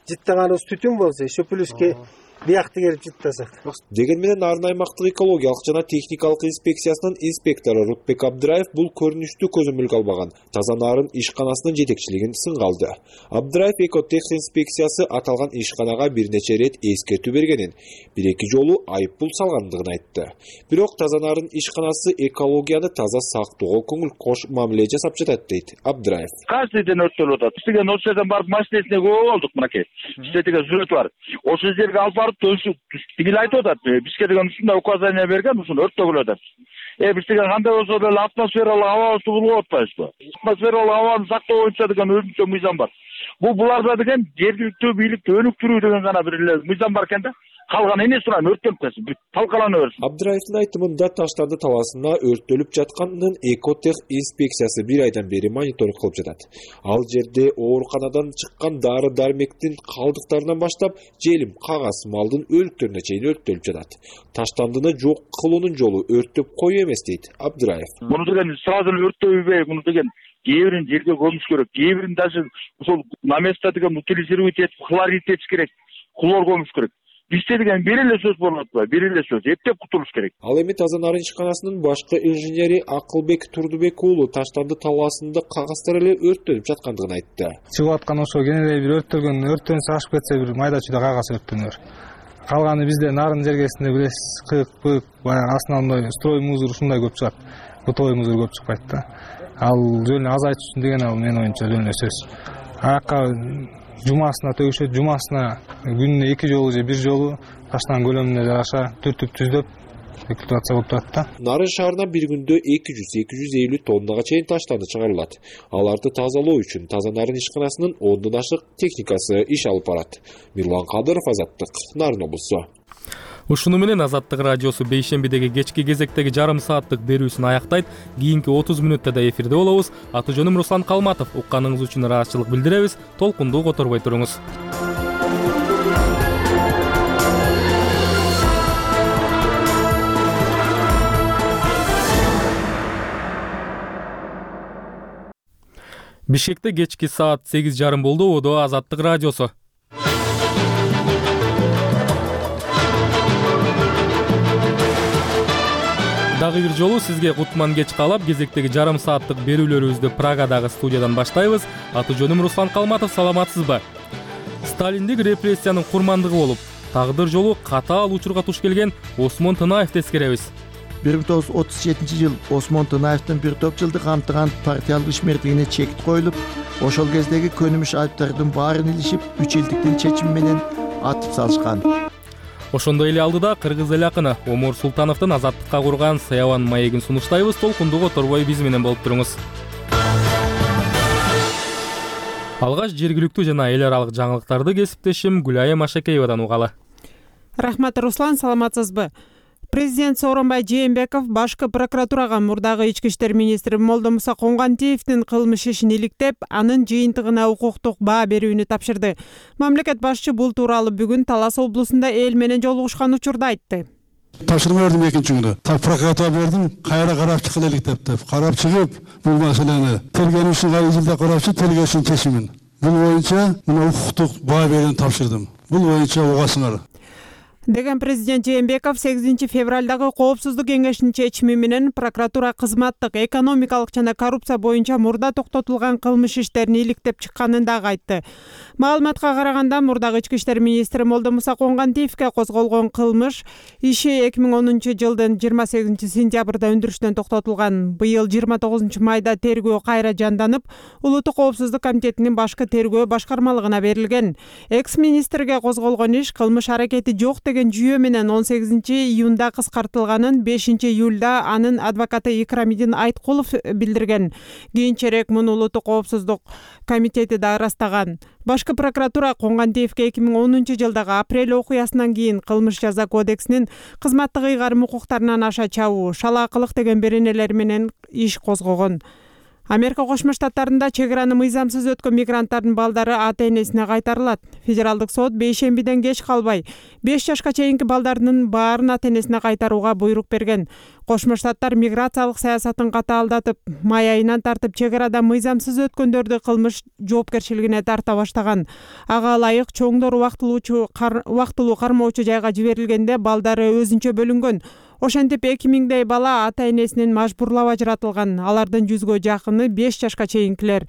Speaker 24: жыттаганыбыз түтүн болсо, шөпүлүскө биякты келип жыттасак.
Speaker 22: Деген менен Нарын аймактык экологиялык жана техникалык инспекциясынын инспектору Рутбек Абдыраев бул көрүнүштү көзөмөлгө албаган таза нарын ишканасынын жетекчилигин сынга алды. Абдыраев экотех инспекциясы аталган ишканага бир нече рет эскертүү бергенин, 1-2 жолу айыппул салгандыгын айтты. Бирок таза нарын ишканасы экологияны таза сактоого көңүл кош мамиле жасап жатат дейт Абдыраев.
Speaker 25: Каждый день өрттөлүп атат. Бизге ошол жерден барып машинесине көп болдук мынакей. Бизде деген сүрөт бар. Ошол жерге алып барып тигил айтып атат. Бизге деген ушундай указание берген, ушун өрттөгүлүп атат. Биз деген кандай болсо деле атмосфералык абабызды булуп атпайбызбы? Атмосфералык абаны сактоо боюнча деген өзүнчө мыйзам бар. Буларда деген жергиликтүү бийликти өнүктүрүү деген гана бир эле мыйзам бар экен да. Калган эмне сурайм, өрттөнүп кетсин, талкалана берсин.
Speaker 22: Абдыраевдин айтымында Таштанды талаасына өрттөлүп жатканын экотех инспекциясы 1 айдан бери мониторинг кылып жатат. Ал жерде ооруканадан чыккан дары-дармектин калдыктарынан баштап желим, кагаз, малдын өлүктөрүнө чейин өрттөлүп жатат. Таштандыны жок кылуунун жолу өрттөп коюу эмес дейт Абдыраев.
Speaker 25: Муну деген сразу эле өрттөбөй, муну деген кээ бирин жерге көмүш керек, кээ бирин даже ошол на место деген утилизировать этип хлорид этиш керек, хлор көмүш керек. Бизде деген бир эле сөз болуп атпайбы, бир эле сөз эптеп кутулуш керек.
Speaker 22: Ал эми Таза Нарын ишканасынын башкы инженери Акылбек Турдубек уулу Таштанды талаасында кагаздар эле өрттөнүп жаткандыгын айтты.
Speaker 23: Чыгып аткан ошо кенелей бир өрттөн ашып кетсе бир майда чүйдө кагаз өрттөнөр. Калганы бизде Нарын жергесинде билесиз, кык, баягы основной строй мусор ушундай көп чыгат. Бытовой мусор көп чыкпайт да. Ал жөн азайтыш үчүн деген ал менин оюмча жөн эле сөз. Аяка жумасына төгүшөт, жумасына күнүнө 2 жолу же 1 жолу таштан көлөмүнө жараша түртүп түздөп эксплуатация болуп турат да.
Speaker 22: Нарын шаарына бир күндө 200-250 тоннага чейин таштанды чыгарылат. Аларды тазалоо үчүн Таза Нарын ишканасынын 10дон ашык техникасы иш алып барат. Мирлан Кадыров, Азаттык, Нарын облусу.
Speaker 1: Ушуну менен Азаттык радиосу бейшембидеги кечки кезектеги жарым сааттык берүүсүн аяктайт. Кийинки 30 мүнөттө да эфирде болобуз. Аты жөнүм Руслан Калматов. Укканыңыз үчүн ыраазычылык билдиребиз. Толкунду которбой туруңуз. Бишкекте кечки саат 8:30 болду. Одо Азаттык радиосу. Дагы бир жолу сизге кутман кеч каалап, кезектеги жарым сааттык берүүлөрүбүздү Прагадагы студиядан баштайбыз. Аты жөнүм Руслан Калматов, саламатсызбы? Сталиндик репрессиянын курмандыгы болуп, тагдыр жолу катаал учурга туш келген Осмон Тынаевди эскеребиз.
Speaker 2: 1937 жыл Осмон Тынаевдин бир топ жылды камтыган партиялык ишмердигине чекит коюлуп, ошол кездеги көнүмүш айыптардын баарын илишип, 3 элдиктин чечими менен атып салышкан.
Speaker 1: Ошондой эле алдыда кыргыз эл акыны Омур Султановдун азаттыкка курган Саябан маегин сунуштайбыз. Толкунду которбой биз менен болуп туруңуз. Алгач жергиликтүү жана эл аралык жаңылыктарды кесиптешим Гүлайым Ашакеевадан угалы.
Speaker 4: Рахмат, Руслан, саламатсызбы? Президент Сооронбай Жээнбеков башкы прокуратурага мурдагы ички иштер министри Молдомуса Конгантиевдин кылмыш ишин иликтеп, анын жыйынтыгына укуктук баа берүүнү тапшырды. Мамлекет башчы бул тууралуу бүгүн Талас облусунда эл менен жолугушкан учурда айтты.
Speaker 6: Тапшырма бердим экинчи күндө. Прокуратура бердим, кайра карап чыгылык деп. Карап чыгып, бул маселени тергөөчү жылда карапчы тергөөчүнүн чечимин. Бул боюнча мына укуктук баа берүүнү тапшырдым. Бул боюнча угасыңар
Speaker 4: деген президент Жээнбеков 8 февралдагы Коопсуздук кеңешинин чечими менен прокуратура кызматтык, экономикалык жана коррупция боюнча мурда токтотулган кылмыш иштерин иликтеп чыкканын дагы айтты. Маалыматка караганда мурдагы ички иштер министри Молдомуса Конгантиевге козголгон кылмыш иши 2010 жылдын 28 сентябрда өндүрүштөн токтотулган. Быйыл 29 майда тергөө кайра жанданып, Улуттук коопсуздук комитетинин башкы тергөө башкармалыгына берилген. Экс-министрге козголгон иш кылмыш аракети жок деген жүйө менен 18 июнда кыскартылганын 5 июлда анын адвокаты Икрамидин Айткулов билдирген. Кийинчерээк муну Улуттук коопсуздук комитети да ырастаган. Башкы прокуратура Конгантиевге 2010 жылдагы апрель окуясынан кийин кылмыш жаза кодексинин кызматтык ыйгарым укуктарынан аша чабуу, шалаакылык деген беренелер менен иш козгогон. Америка Кошмо Штаттарында чек араны мыйзамсыз өткөн мигранттардын балдары ата-энесине кайтарылат. Федералдык сот бейшембиден кеч калбай 5 жашка чейинки балдардын баарын ата-энесине кайтарууга буйрук берген. Кошмо Штаттар миграциялык саясатын катаалдатып, май айынан тартып чек арада мыйзамсыз өткөндөрдү кылмыш жоопкерчилигине тарта баштаган. Ага ылайык чоңдор убактылуу кармоочу жайга жиберилгенде балдары өзүнчө бөлүнгөн. Ошентип 2000дей бала ата-энесинен мажбурлап ажыратылган. Алардын 100гө жакыны 5 жашка чейинкилер.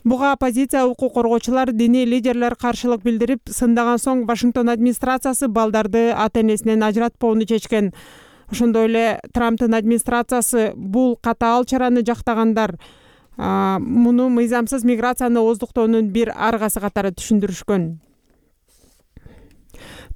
Speaker 4: Буга оппозиция, укук коргоочулар, диний лидерлер каршылык билдирип, сындаган соң Вашингтон администрациясы балдарды ата-энесинен ажыратпоону чечкен. Ошондой эле Трамптын администрациясы бул катаал чараны жактагандар муну мыйзамсыз миграцияны ооздуктоонун бир аргасы катары түшүндүрүшкөн.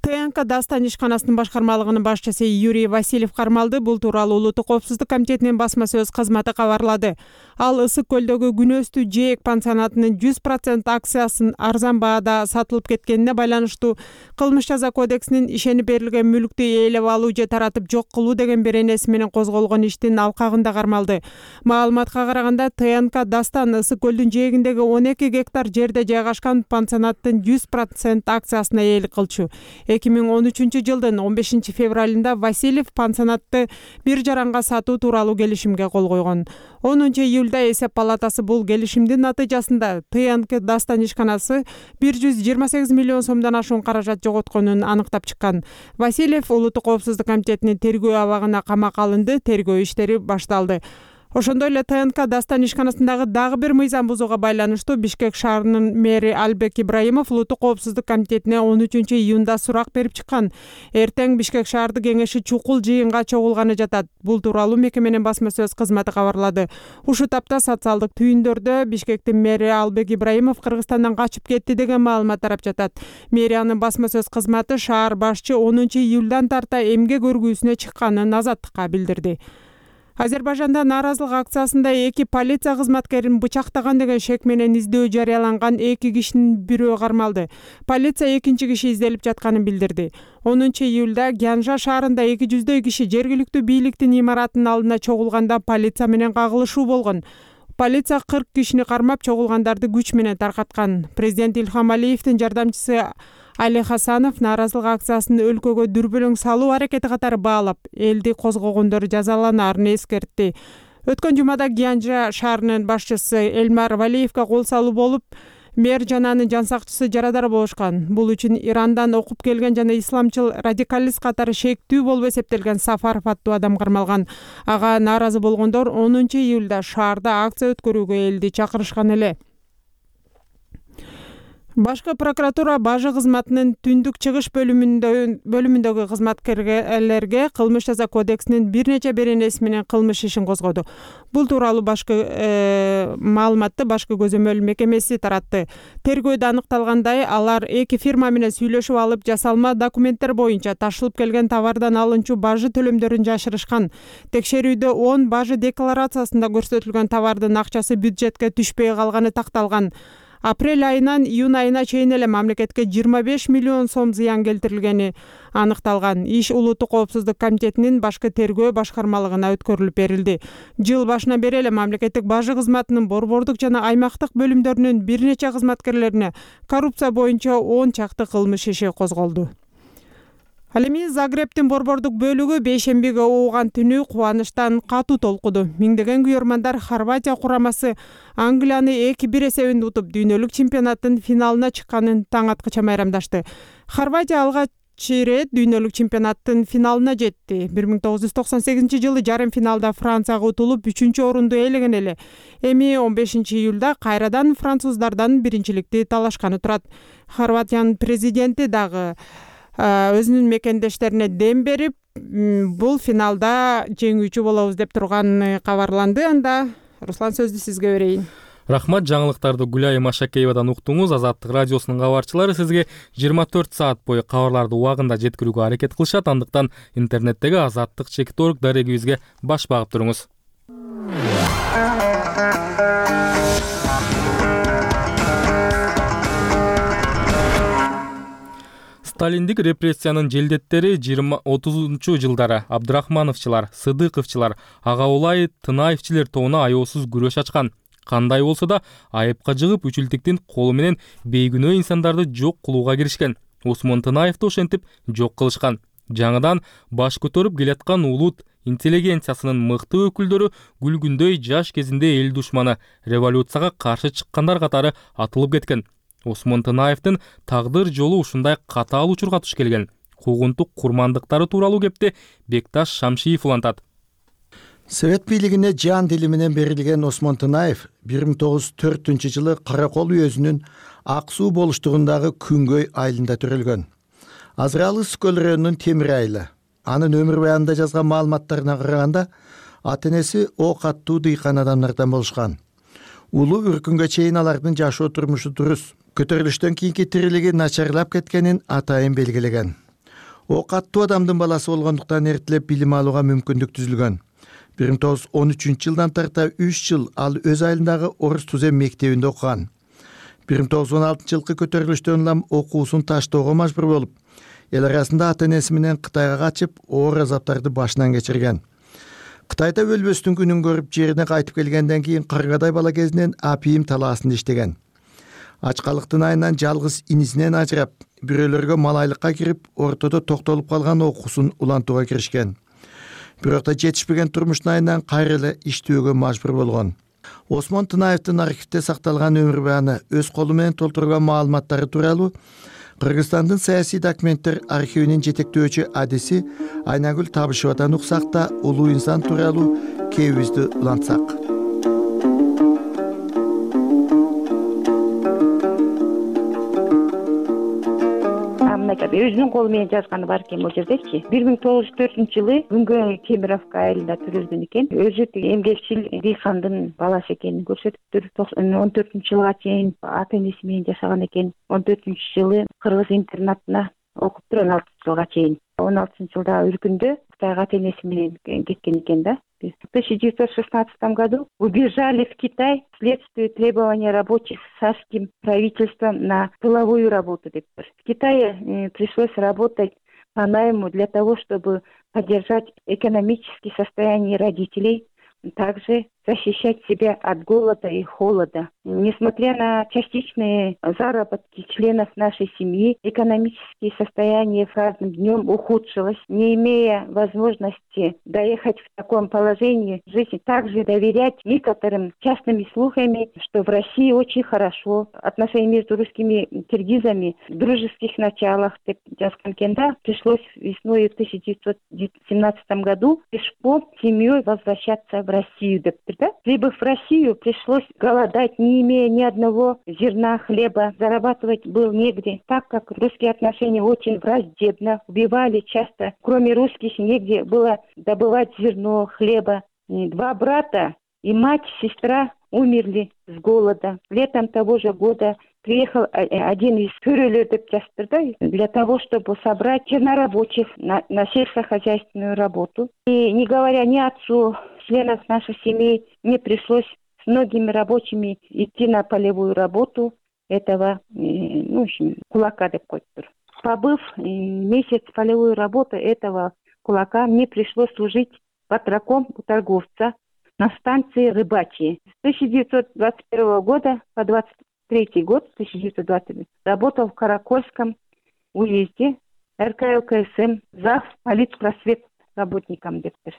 Speaker 4: ТНК Дастан ишканасынын башкармалыгынын башчысы Юрий Васильев кармалды. Бул тууралуу Улуттук коопсуздук комитетинин басма сөз кызматы кабарлады. Ал Ысык көлдөгү Күнөстүү Жээк пансионатынын 100% акциясын арзан баада сатылып кеткенине байланыштуу кылмыш жаза кодексинин ишенип берилген мүлктү ээлеп алуу же таратып жок кылуу деген беренеси менен козголгон иштин алкагында кармалды. Маалыматка караганда ТНК Дастан Ысык көлдүн жээгиндеги 12 гектар жерде жайгашкан пансионаттын 100% акциясына ээлик кылчу. 2013 жылдын 15 февралында Васильев пансионатты бир жаранга сатуу тууралуу келишимге кол койгон. 10 июлда эсеп палатасы бул келишимдин натыйжасында ТНК Дастан ишканасы 128 миллион сомдон ашуун каражат жоготконун аныктап чыккан. Васильев Улуттук коопсуздук комитетинин тергөө абагына камакка алынды, тергөө иштери башталды. Ошондой эле ТНК Дастан ишканасындагы дагы бир мыйзам бузууга байланыштуу Бишкек шаарынын мэри Албек Ибраимов Улуттук коопсуздук комитетине 13 июнда сурак берип чыккан. Эртең Бишкек шаардык кеңеши чукул жыйынга чогулганы жатат. Бул тууралуу мекеменин басма сөз кызматы кабарлады. Ушул тапта социалдык түйүндөрдө Бишкектин мэри Албек Ибраимов Кыргызстандан качып кетти деген маалымат тарап жатат. Мэриянын басма сөз кызматы шаар башчы 10 июлдан тарта эмгек өргүүсүнө чыкканын Азаттыкка билдирди. Азербайжанда нааразылык акциясында 2 полиция кызматкерин бычактаган деген шек менен издөө жарыяланган 2 кишинин бирөө кармалды. Полиция 2 киши изделип жатканын билдирди. 10 июлда Гянжа шаарында 200 киши жергиликтүү бийликтин имаратынын алдына чогулганда полиция менен кагылышуу болгон. Полиция 40 кишини кармап, чогулгандарды күч менен таркаткан. Президент Илхам Алиевдин жардамчысы Али Хасанов нааразылык акциясын өлкөгө дүрбөлөң салуу аракети катары баалап, элди козгогондор жазаланарын эскертти. Өткөн жумада Гянжа шаарынын башчысы Элмар Валиевге кол салуу болуп, мэр жана анын жан сакчысы жарадар болушкан. Бул үчүн Ирандан окуп келген жана исламчыл радикалист катары шектүү болуп эсептелген Сафаров аттуу адам кармалган. Ага нааразы болгондор 10 июлда шаарда акция өткөрүүгө элди чакырышкан эле. Башкы прокуратура бажы кызматынын түндүк чыгыш бөлүмүндөгү кызматкерлерге кылмыш жаза кодексинин бир нече беренеси менен кылмыш ишин козгоду. Бул тууралуу башкы маалыматты башкы көзөмөл мекемеси таратты. Тергөөдө аныкталгандай, алар 2 фирма менен сүйлөшүп алып, жасалма документтер боюнча ташылып келген товардан алынчу бажы төлөмдөрүн жашырышкан. Текшерүүдө 10 бажы декларациясында көрсөтүлгөн товардын акчасы бюджетке түшпөй калганы такталган. Апрель айынан июнь айына чейин эле мамлекетке 25 миллион сом зыян келтирилгени аныкталган. Иш Улуттук коопсуздук комитетинин башкы тергөө башкармалыгына өткөрүлүп берилди. Жыл башынан бери эле мамлекеттик бажы кызматынын борбордук жана аймактык бөлүмдөрүнүн бир нече кызматкерлерине коррупция боюнча 10 чакты кылмыш иши козголду. Ал эми Загребтин борбордук бөлүгү бейшембиге ууган түнү кубанычтан катуу толкуду. Миңдеген күйөрмандар Хорватия курамасы Англияны 2-1 эсебинде утуп, дүйнөлүк чемпионаттын финалына чыкканын таң аткыча майрамдашты. Хорватия алгач рет дүйнөлүк чемпионаттын финалына жетти. 1998 жылы жарым финалда Францияга утулуп 3-орунду ээлеген эле. Эми 15 июлда кайрадан француздардан биринчиликти талашканы турат. Хорватиянын президенти дагы өзүнүн мекендештерине дем берип, бул финалда жеңүүчү болобуз деп турганы кабарланды. Анда Руслан, сөздү сизге берейин.
Speaker 1: Рахмат, жаңылыктарды Гүлай Машакеевадан уктуңуз. Азаттык радиосунун кабарчылары сизге 24 саат бою кабарларды убагында жеткирүүгө аракет кылышат. Андыктан интернеттеги azаттык.org дарегибизге баш багып туруңуз. Сталиндик репрессиянын желдеттери 20-30 жылдары Абдрахмановчылар, Сыдыковчылар, Агаулай, Тынаевчилер тобуна аеосуз күрөш ачкан. Кандай болсо да айыпка жыгып, үчүлтүктүн колу менен бейгүнөө инсандарды жок кылууга киришкен. Осмон Тынаевди ошентип жок кылышкан. Жаңыдан баш көтөрүп келаткан улут интеллигенциясынын мыкты өкүлдөрү күлгүндөй жаш кезинде эл душманы, революцияга каршы чыккандар катары атылып кеткен. Осмон Тынаевдин тагдыр жолу ушундай катаал учурга туш келген. Куугунтук курмандыктары тууралуу кепти Бекташ Шамшиев улантат.
Speaker 2: Совет бийлигине жан дили менен берилген Осмон Тынаев 1904 жылы Каракол уезүнүн Ак суу болуштугундагы Күнгөй айылында төрөлгөн. Азыралы Скөл районунун Темир айылы. Анын өмүр баянында жазган маалыматтарына караганда, ата-энеси ок аттуу дыйкан адамдардан болушкан. Улуу үркүнгө чейин алардын жашоо турмушу дурус. Көтөрүлүштөн кийинки тирилиги начарлап кеткенин атайын белгилеген. Ок аттуу адамдын баласы болгондуктан эртелеп билим алууга мүмкүндүк түзүлгөн. 1913 жылдан тарта 3 жыл ал өз айылындагы Орус Тузем мектебинде окуган. 1916 жылкы көтөрүлүштөн улам окуусун таштоого мажбур болуп, эл арасында ата-энеси менен Кытайга качып, оор азаптарды башынан кечирген. Кытайда өлбөстүн күнүн көрүп, жерине кайтып келгенден кийин Каргадай бала кезинен апийим талаасында иштеген. Ачкалыктын айынан жалгыз инисинен ажырап, бирөөлөргө малайлыкка кирип, ортодо токтолуп калган окуусун улантууга киришкен. Бирок да жетишпеген турмуштун айынан кайра эле иштөөгө мажбур болгон. Осмон Тынаевдин архивде сакталган өмүр бааны өз колу менен толтурган маалыматтары тууралуу Кыргызстандын саясий документтер архивинин жетектөөчү адиси Айнагүл Табышевадан уксак да улуу инсан тууралуу кебибизди улантсак.
Speaker 5: Өзүнүн колу менен жазганы бар экен бул жердечи. 1904-жылы Күнгөй Темировка айылында төрөлгөн экен. Өзү эмгекчил дыйкандын баласы экенин көрсөтүптүр. 14-жылга чейин ата энеси менен жашаган экен. 14-жылы кыргыз интернатына окуптур 16-жылга чейин. 16-жылда өлкөндө Кытайга ата энеси менен кеткен экен да. В 1916 году убежали в Китай вследствие требования рабочих царским правительством на тыловую работу. В Китае пришлось работать по найму для того, чтобы поддержать экономическое состояние родителей, также защищать себя от голода и холода. Несмотря на частичные заработки членов нашей семьи, экономическое состояние с каждым днем ухудшилось. Не имея возможности доехать в таком положении жизни, также доверять некоторым частными слухами, что в России очень хорошо. Отношения между русскими и киргизами в дружеских началах пришлось весной в 1917 году пешком семьей возвращаться в Россию. Прибыв в Россию, пришлось голодать, не имея ни одного зерна хлеба. Зарабатывать было негде, так как русские отношения очень враждебно. Убивали часто. Кроме русских, негде было добывать зерно, хлеба. 2 брата и мать, сестра умерли с голода. Летом того же года приехал один из фюрерлер для того, чтобы собрать чернорабочих на сельскохозяйственную работу. И не говоря ни отцу, членов нашей семьи, мне пришлось с многими рабочими идти на полевую работу этого, кулака деп койтур. Побыв месяц полевую работу этого кулака, мне пришлось служить батраком у торговца на станции Рыбачьи. С 1921 года по 23 год, 1920, работал в Каракольском уезде, РКЛКСМ, зав. Политпросвет работником дептир.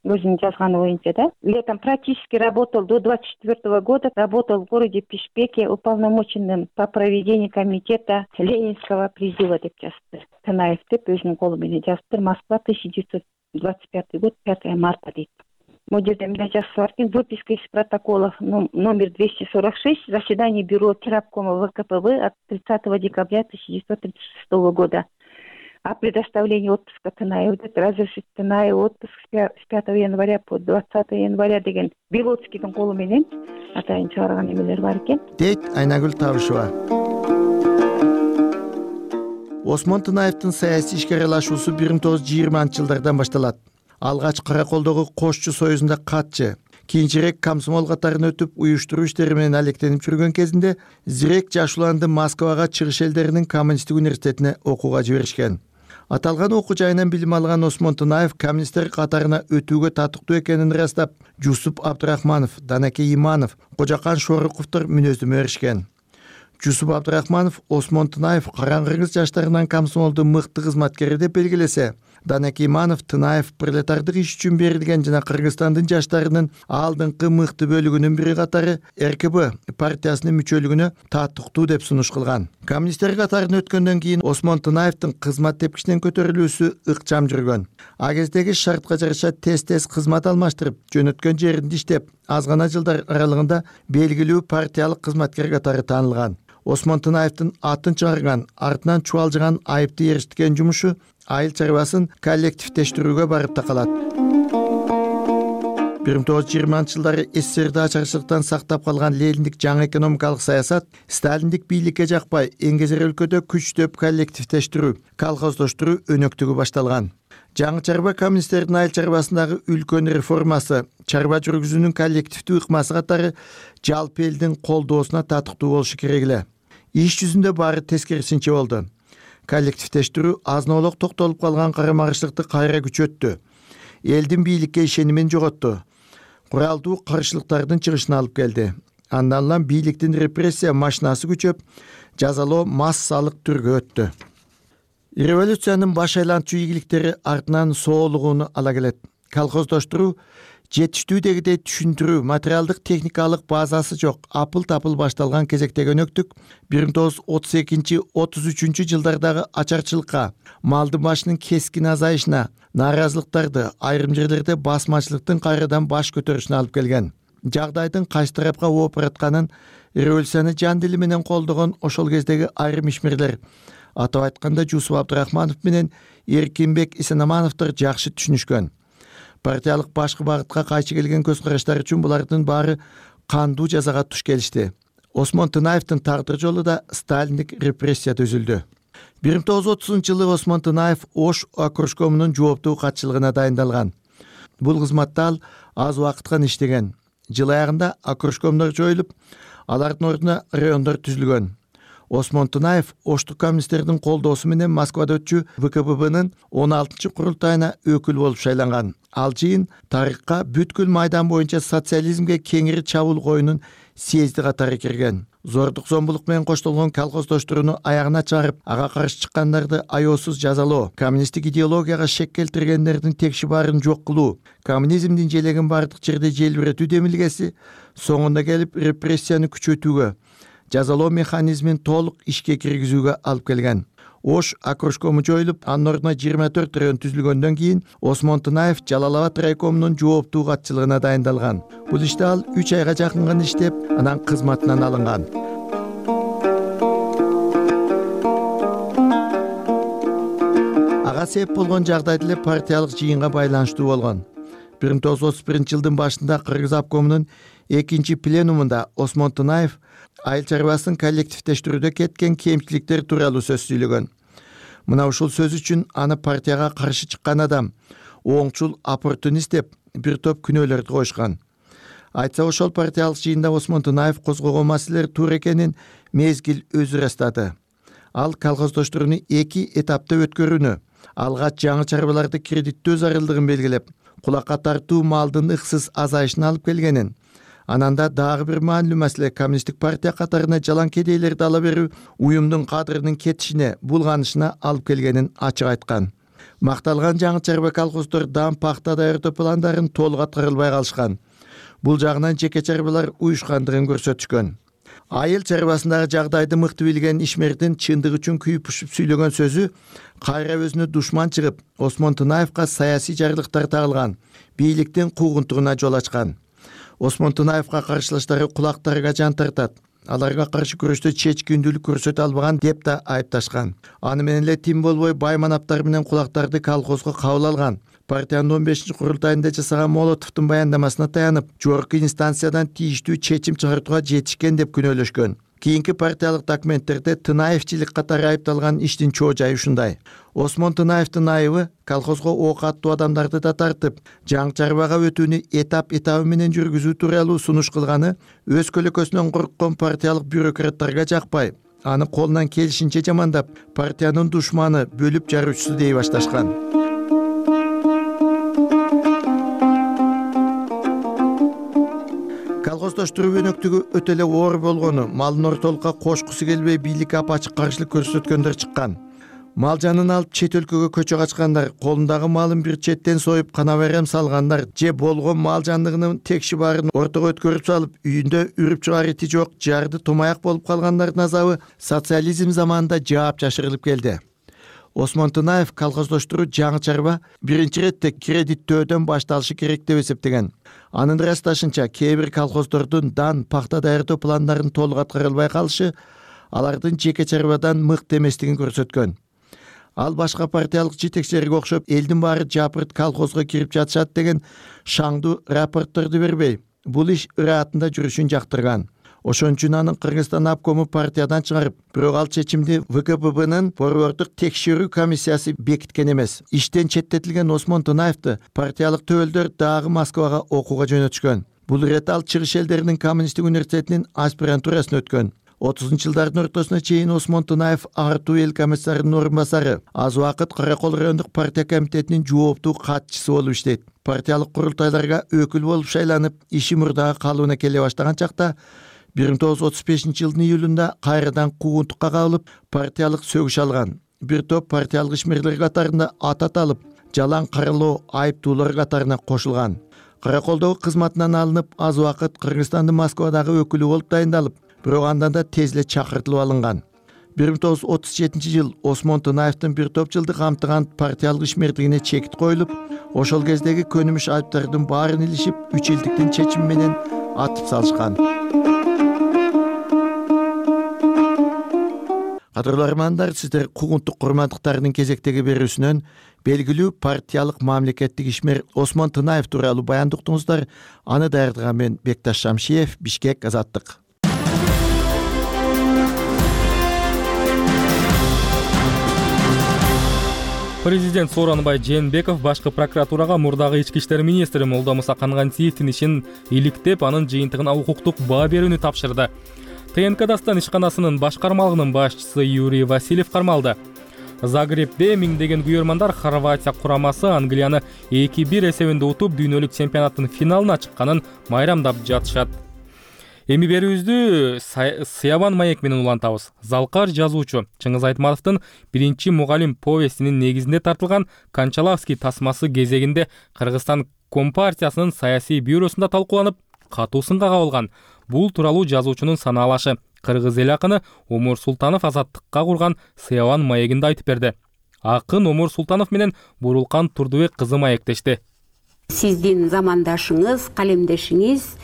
Speaker 5: Өзүнүн жазганы боюнча, да. Летом практически работал до 24 года, работал в городе Пишпеке уполномоченным по проведению комитета Ленинского призыва деп жазыптыр. Тынаев деп өзүнүн колу менен жазыптыр. Москва, 1925 год, 5 марта дейт. Бул жерде мындай жазып бар экен: выписка из протоколов номер 246 заседание бюро Террабкома ВКПБ от 30 декабря 1936 года. О предоставлении отпуска Тынаеву, разрешить Тынаеву отпуск с 5 января по 20 января деген Белоцкийдин колу менен атайын чыгарган эмелер бар экен.
Speaker 2: Дейт Айнагүл Табышева. Осмон Тынаевдин саясий ишке аралашуусу 1920-жылдардан башталат. Алгач Караколдогу Кошчу союзунда катчы, кийинчерээк комсомол катарын өтүп, уюштуруу иштери менен алектенип жүргөн кезинде Зирек жаш уланды Москвага чыгыш элдеринин коммунисттик университетине окууга жиберишкен. Аталган окуу жайынан билим алган Осмон Тынаев коммунисттер катарына өтүүгө татыктуу экенин ырастап, Жусуп Абдрахманов, Данакей Иманов, Кожакан Шоруковдор мүнөздөмө беришкен. Жусуп Абдрахманов Осмон Тынаев караңгы жаштарынан комсомолдун мыкты кызматкери деп белгилесе, Данакей Иманов Тынаев пролетардык иш үчүн берилген жана Кыргызстандын жаштарынын алдыңкы мыкты бөлүгүнүн бири катары РКБ партиясынын мүчөлүгүнө татыктуу деп сунуш кылган. Коммунисттер катарын өткөндөн кийин Осмон Тынаевдин кызмат тепкичинен көтөрүлүүсү ыкчам жүргөн. А кездеги шартка жараша тез кызмат алмаштырып, жөнөткөн жеринде иштеп, аз гана жылдар аралыгында белгилүү партиялык кызматкер катары таанылган. Осмон Тынаевдин атын чыгарган, артынан чубалжыган айыпты эришиткен жумушу айыл чарбасын коллективдештирүүгө барып такалат. 1920-жылдары СССРди ачарчылыктан сактап калган Лениндик жаңы экономикалык саясат Сталиндик бийликке жакпай, эңгезер өлкөдө күчтөп коллективдештирүү, колхоздоштуруу өнөктүгү башталган. Жаңы чарба коммунисттердин айыл чарбасындагы үлкөн реформасы, чарба жүргүзүүнүн коллективдүү ыкмасы катары жалпы элдин колдоосуна татыктуу болушу керек эле. Иш жүзүндө баары тескерисинче болду. Коллективдештирүү азнолок токтолуп калган карамагыштыкты кайра күчөттү. Элдин бийликке ишенимин жоготту. Куралдуу каршылыктардын чыгышына алып келди. Андан улам бийликтин репрессия машинасы күчөп, жазалоо массалык түргө өттү. Революциянын баш айлантчу ийгиликтери артынан соолугуну ала келет. Колхоздоштуруу жетиштүү дегидей түшүндүрүү, материалдык техникалык базасы жок, апыл-тапыл башталган кезекте өнөктүк 1932-33 жылдардагы ачарчылыкка, малдын башынын кескин азайышына, нааразылыктарды, айрым жерлерде басмачылыктын кайрадан баш көтөрүшүнө алып келген. Жагдайдын кайсы тарапка ооп баратканын революцияны жан дили менен колдогон ошол кездеги айрым ишмерлер, атап айтканда Жусуп Абдрахманов менен Эркинбек Исенамановдор жакшы түшүнүшкөн. Партиялык башкы багытка кайчы келген көз караштар үчүн булардын баары кандуу жазага туш келишти. Осмон Тынаевдин тагдыр жолу да сталиндик репрессияда үзүлдү. 1930-жылы Осмон Тынаев Ош окружкомунун жооптуу катчылыгына дайындалган. Бул кызматта ал аз убакыт гана иштеген. Жыл аягында окружкомдор жоюлуп, алардын ордуна райондор түзүлгөн. Осмон Тынаев Оштук коммунисттердин колдоосу менен Москвада өтчү ВКПБнын 16-курултайына өкүл болуп шайланган. Ал жыйын тарыхка бүткүл майдан боюнча социализмге кеңири чабуул коюунун съезди катары кирген. Зордук зомбулук менен коштолгон колхоздоштурууну аягына чыгарып, ага каршы чыккандарды аяосуз жазалоо, коммунисттик идеологияга шек келтиргендердин текши баарын жок кылуу, коммунизмдин желегин бардык жерде желбиретүү демилгеси соңунда келип репрессияны күчөтүүгө, жазалоо механизмин толук ишке киргизүүгө алып келген. Ош окружкому жоюлуп, анын ордуна 24 район түзүлгөндөн кийин Осмон Тынаев Жалал-Абад райкомунун жооптуу катчылыгына дайындалган. Бул иште ал 3 айга жакын гана иштеп, анан кызматынан алынган. Ага себеп болгон жагдайды эле партиялык жыйынга байланыштуу болгон. 1931-жылдын башында Кыргыз обкомунун 2-пленумунда Осмон Тынаев айыл чарбасын коллективдештирүүдө кеткен кемчиликтер тууралуу сөз сүйлөгөн. Мына ушул сөз үчүн аны партияга каршы чыккан адам, оңчул оппортунист деп бир топ күнөөлөрдү коюшкан. Айтса ошол партиялык жыйында Осмон Тынаев козгогон маселелер туура экенин мезгил өзү ырастады. Ал колхоздоштурууну 2 этапта өткөрүүнү, алгач жаңы чарбаларды кредиттөө зарылдыгын белгилеп, кулакка тартуу малдын ыксыз азайышына алып келгенин, ананда дагы бир маанилүү маселе коммунисттик партия катарына жалаң кедейлерди ала берүү уюмдун кадырынын кетишине, булганышына алып келгенин ачык айткан. Макталган жаңы чарба колхоздор дан пахта даярдоо пландарын толук аткарылбай калышкан. Бул жагынан жеке чарбалар уюшкандыгын көрсөтүшкөн. Айыл чарбасындагы жагдайды мыкты билген ишмердин чындык үчүн күйүп-пушуп сүйлөгөн сөзү кайра өзүнө душман чыгып, Осмон Тынаевка саясий жарлыктар тагылган, бийликтин куугунтугуна жол ачкан. Осмон Тынаевка каршылаштары кулактарга жан тартат. Аларга каршы күрөштө чечкиндүүлүк көрсөтө албаган деп да айыпташкан. Аны менен эле тим болбой бай манаптар менен кулактарды колхозго кабыл алган. Партиянын 15-курултайында жасаган Молотовдун баяндамасына таянып, жогорку инстанциядан тийиштүү чечим чыгартууга жетишкен деп күнөөлөшкөн. Кийинки партиялык документтерде Тынаевчилик катары айыпталган иштин чоо жайы ушундай. Осмон Тынаевдин айыбы колхозго ок аттуу адамдарды да тартып, жаңы чарбага өтүүнү этап-этабы менен жүргүзүү тууралуу сунуш кылганы өз көлөкөсүнөн корккон партиялык бюрократтарга жакпай, аны колунан келишинче жамандап, партиянын душманы, бөлүп жаруучусу дей башташкан. Колхоздоштуруу өнөктүгү өтө эле оор болгону, малдын ортолукка кошкусу келбей бийликке апачык каршылык көрсөткөндөр чыккан. Мал жанын алып чет өлкөгө көчө качкандар, колундагы малын бир четтен союп кана берем салгандар, же болгон мал жандыгынын текши баарын ортого өткөрүп салып, үйүндө үрүп чыгаар ити жок, жарды тумаяк болуп калгандардын азабы социализм заманында жаап жашырылып келди. Осмон Тынаев колхоздоштуруу жаңы чарба биринчи иретте кредиттөөдөн башталышы керек деп эсептеген. Анын ырасташынча кээ бир колхоздордун дан пахта даярдоо пландарын толук аткарылбай калышы алардын жеке чарбадан мыкты эместигин көрсөткөн. Ал башка партиялык жетекчилерге окшоп элдин баары жапырт колхозго кирип жатышат деген шаңдуу рапортторду бербей, бул иш ыраатында жүрүшүн жактырган. Ошон үчүн анын Кыргызстан обкому партиядан чыгарып, бирок ал чечимди ВКПБнын борбордук текшерүү комиссиясы бекиткен эмес. Иштен четтетилген Осмон Тынаевди партиялык төбөлдөр дагы Москвага окууга жөнөтүшкөн. Бул ирет ал чыгыш элдеринин коммунисттик университетинин аспирантурасын өткөн. 30-жылдардын ортосуна чейин Осмон Тынаев артуу эл комиссарынын орун басары, аз убакыт Каракол райондук партия комитетинин жооптуу катчысы болуп иштейт. Партиялык курултайларга өкүл болуп шайланып, иши мурдага калыбына келе баштаган чакта 1935 жылдын июлунда кайрадан куугунтукка кабылып партиялык сөгүш алган. Бир топ партиялык ишмерлер катарында ат аталып, жалаң каралоо айыптуулар катарына кошулган. Караколдогу кызматынан алынып, аз убакыт Кыргызстандын Москвадагы өкүлү болуп дайындалып, бирок андан да тез эле чакыртылып алынган. 1937 жыл Осмон Тынаевдин бир топ жылдык камтыган партиялык ишмердигине чекит коюлуп, ошол кездеги көнүмүш айыптардын баарын илишип, 3 жылдыктын чечими менен атып салышкан. Кадырлуу армандар, сиздер куугунтук курмандыктардын кезектеги берүүсүнөн белгилүү партиялык мамлекеттик ишмер Осмон Тынаев тууралуу баян уктуңуздар. Аны даярдаган мен Бекташ Шамшиев, Бишкек, Азаттык.
Speaker 1: Президент Сооронбай Жээнбеков башкы прокуратурага мурдагы ички иштер министри Молдомуса Канганциевдин ишин иликтеп, анын жыйынтыгына укуктук баа берүүнү тапшырды. ТНК Дастан ишканасынын башкармалыгынын башчысы Юрий Васильев кармалды. Загребде миңдеген күйөрмандар Хорватия курамасы Англияны 2-1 эсебинде утуп, дүйнөлүк чемпионаттын финалына чыкканын майрамдап жатышат. Эми берүүбүздү Сыябан маек менен улантабыз. Залкар жазуучу Чыңгыз Айтматовдун биринчи мугалим повестинин негизинде тартылган Кончаловский тасмасы кезегинде Кыргызстан Компартиясынын саясий бюросунда талкууланып, катуу сынга кабылган. Бул тууралуу жазуучунун санаалашы кыргыз эл акыны Омур Султанов Азаттыкка курган Сыябан маегинде айтып берди. Акын Омур Султанов менен Бурулкан Турдубек кызы маектешти.
Speaker 7: Сиздин замандашыңыз, калемдешиңиз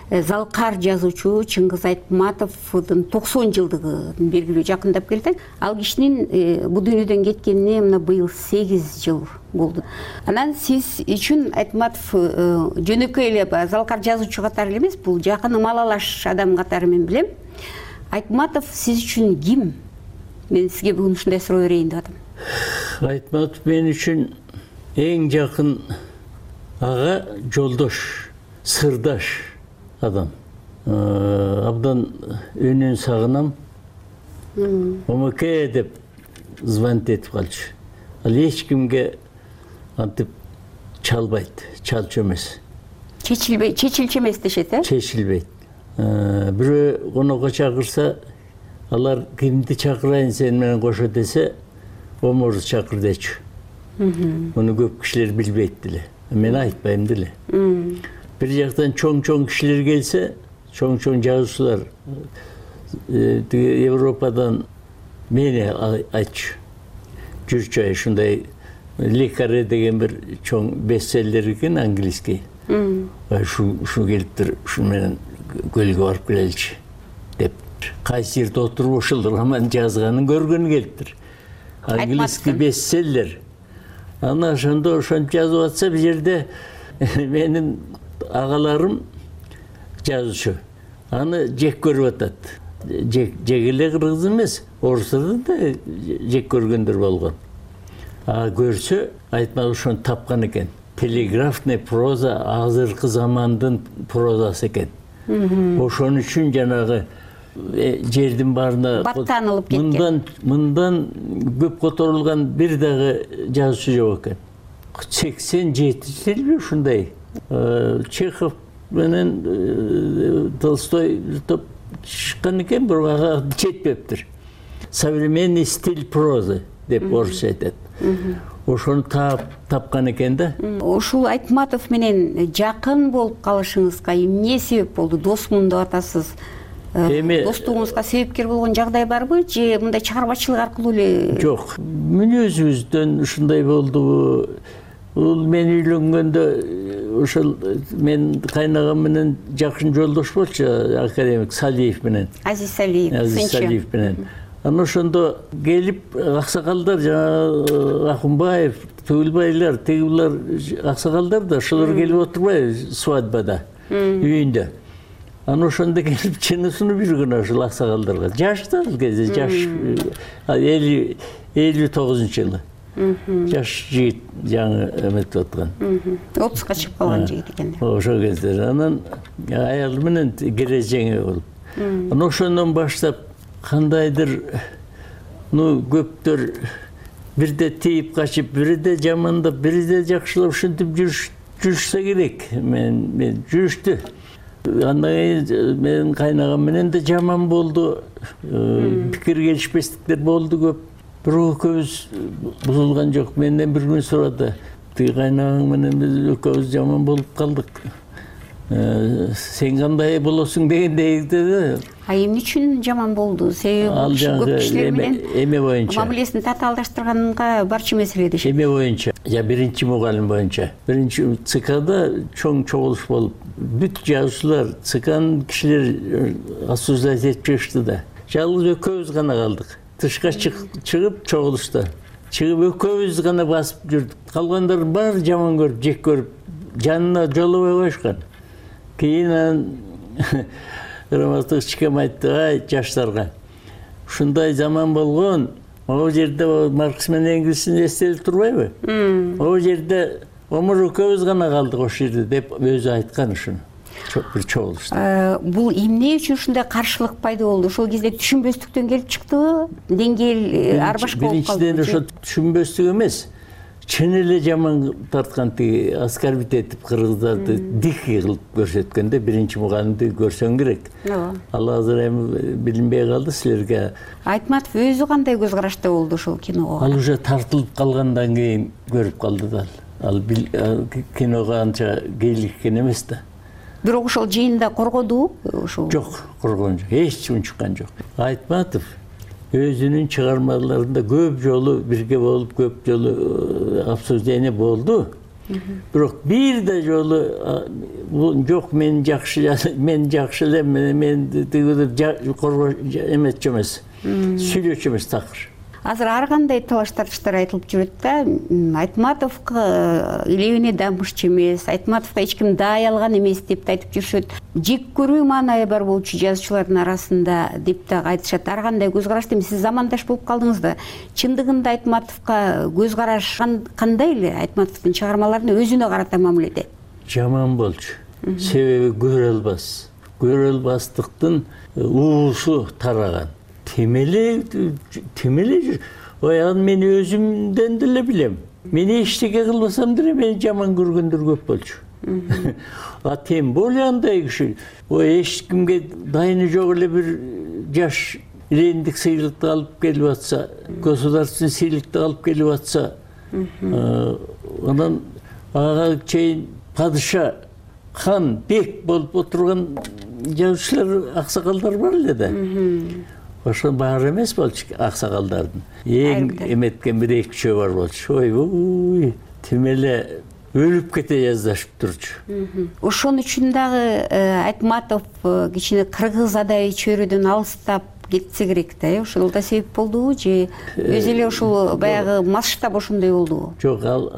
Speaker 7: Залкар жазуучу Чыңгыз Айтматовдун 90 жылдыгын белгилүү жакындап келди. Ал кишинин бул дүйнөдөн кеткенине мына быйыл 8 жыл болду. Анан сиз үчүн Айтматов жөнөкөй эле Залкар жазуучу катары эле эмес, бул жакын малалаш адам катары мен билем. Айтматов сиз үчүн ким? Мен сизге бүгүн ушундай суроо берейин деп атам.
Speaker 8: Айтматов мен үчүн эң жакын ага, жолдош, сырдаш адам. Абдан үнүн сагынам. Омоке деп звонить этип калчу. Ал эч кимге антип чалбайт, чалчу эмес.
Speaker 7: Чечилчү эмес дешет, э?
Speaker 8: Чечилбейт. Бирөө конокко чакырса, алар кимди чакырайын сен менен кошо десе, Омурду чакыр дечү. Муну көп кишилер билбейт деле. Мен айтпайм деле. Бир жактан чоң кишилер келсе, чоң жазуучулар Европадан мени айтчу. Жүрчү ушундай Лекаре деген бир чоң бестселлер экен английский. Ушу келиптир, ушу менен көлгө барып келеличи деп. Кайсы жерде отуруп ошол роман жазганын көргөнү келиптир. Английский бестселлер. Ана ошондо ошентип жазып атса, бир жерде менин агаларым жазуучу. Аны жек көрүп атат. Жек эле кыргыз эмес, орустардан да жек көргөндөр болгон. Көрсө, Айтматов ошону тапкан экен. Телеграфный проза азыркы замандын прозасы экен. Ошон үчүн жанагы жердин баарына
Speaker 7: баттанылып кеткен.
Speaker 8: Мындан көп которулган бир дагы жазуучу жок экен. 87-жылы ушундай. Чехов менен Толстой топ чыккан экен, бирок ага жетпептир. Современный стиль прозы деп орусча айтат. Ошону тапкан экен да.
Speaker 7: Ушул Айтматов менен жакын болуп калышыңызга эмне себеп болду? Досмун деп атасыз. Достугуңузга себепкер болгон жагдай барбы, же мындай чыгармачылык аркылуу эле?
Speaker 8: Жок. Мүнөзүбүздөн ушундай болду. Бул мен үйлөнгөндө ошол мен кайнагам менен жакын жолдош болчу, академик Салиев менен.
Speaker 7: Азиз Салиев
Speaker 8: менен. Аны ошондо келип аксакалдар, жана Акунбаев, Тугулбайлар, тигилер аксакалдар да ошолор келип отурбайбы свадьбада, үйүндө. Аны ошондо келип чынысын биргөн ошол аксакалдарга. Жашты ал кезде, жаш 59-жылы. Жаш жигит жаңы эметип аткан.
Speaker 7: 30га чыгып калган жигит экен.
Speaker 8: Ошол кезде анан аялы менен кережеңе болуп. Анан ошондон баштап кандайдыр көптөр бирде тийип качып, бирде жамандап, бирде жакшылап ушинтип жүрүшсө керек. Мен жүрүштү. Андан кийин менин кайнагам менен да жаман болду. Пикир келишпестиктер болду көп. Бирок экөөбүз бузулган жок. Менден бир күн сурады. Тиги кайнагың менен биз экөөбүз жаман болуп калдык. Сен кандай болосуң дегендей деди.
Speaker 7: Эмне үчүн жаман болду? Себеби көп кишилер менен
Speaker 8: эме боюнча
Speaker 7: мамилесин татаалдаштырганга барчу маселеде.
Speaker 8: Эме боюнча, биринчи мугалим боюнча. Биринчи ЦКда чоң чогулуш болуп, бүт жазуучулар, ЦКнын кишилери осуждать этип чыгышты да. Жалгыз экөөбүз гана калдык. Тышка чыгып чогулушта. Чыгып экөөбүз гана басып жүрдүк. Калгандар баары жаман көрүп, жек көрүп, жанына жолобой коюшкан. Кийин Рамазан чыккан айтты, ай жаштарга. Ушундай заман болгон, могу жерде Маркс менен Энгельстин эстелип турбайбы? Могу жерде омур экөөбүз гана калдык ошол жерде деп өзү айткан ушуну. Бир чогулушта.
Speaker 7: Бул эмне үчүн ушундай каршылык пайда болду? Ошол кезде түшүнбөстүктөн келип чыктыбы? Деңгээл ар башка болуп калды.
Speaker 8: Биринчиден ошо түшүнбөстүк эмес. Чын эле жаман тарткан тиги оскорбить этип кыргыздарды дикий кылып көрсөткөндө биринчи мугалимди көрсөң керек. Ал азыр эми билинбей калды силерге.
Speaker 7: Айтматов өзү кандай көз карашта болду ошол киного?
Speaker 8: Ал уже тартылып калгандан кийин көрүп калды да. Ал киного анча кейиликкен эмес да.
Speaker 7: Бирок ошол жыйында коргоду ошол?
Speaker 8: Жок, коргон жок. Эч унчуккан жок. Айтматов өзүнүн чыгармаларында көп жолу бирге болуп, көп жолу обсуждение болду. Бирок бир да жолу жок, мен жакшы эле, мен эмес эмес. Сүйлөчү эмес такыр.
Speaker 7: Азыр ар кандай талаш тартыштар айтылып жүрөт да. Айтматовго илебине дамышчу эмес, Айтматовго эч ким даай алган эмес деп айтып жүрүшөт. Жек көрүү маанайы бар болчу жазуучулардын арасында деп да айтышат. Ар кандай көз карашты? Сиз замандаш болуп калдыңыз да. Чындыгында Айтматовго көз караш кандай эле? Айтматовдун чыгармаларына өзүнө карата мамиледе?
Speaker 8: Жаман болчу. Себеби көрө албастыктын уусу тараган. Темеле жүр. Ой, аны мен өзүмдөн деле билем. Мен эчтеке кылбасам деле мени жаман көргөндөр көп болчу. А тем более андай киши. Ой, эч кимге дайыны жок эле бир жаш лендик сыйлыкты алып келип атса, государственный сыйлыкты алып келип атса, анан ага чейин падыша, хан, бек болуп отурган жазуучулар, аксакалдар бар эле да. Ошо баары эмес болчу аксакалдардын. Эң эметкен бир эки үчөө бар болчу. Ой, тим эле өлүп кете жаздашып турчу.
Speaker 7: Ошон үчүн дагы Айтматов кичине кыргыз адай чөйрөдөн алыстап кетсе керек да. Ошол да себеп болдубу же өзү эле ошол баягы масштаб ошондой болдубу?
Speaker 8: Жок, ал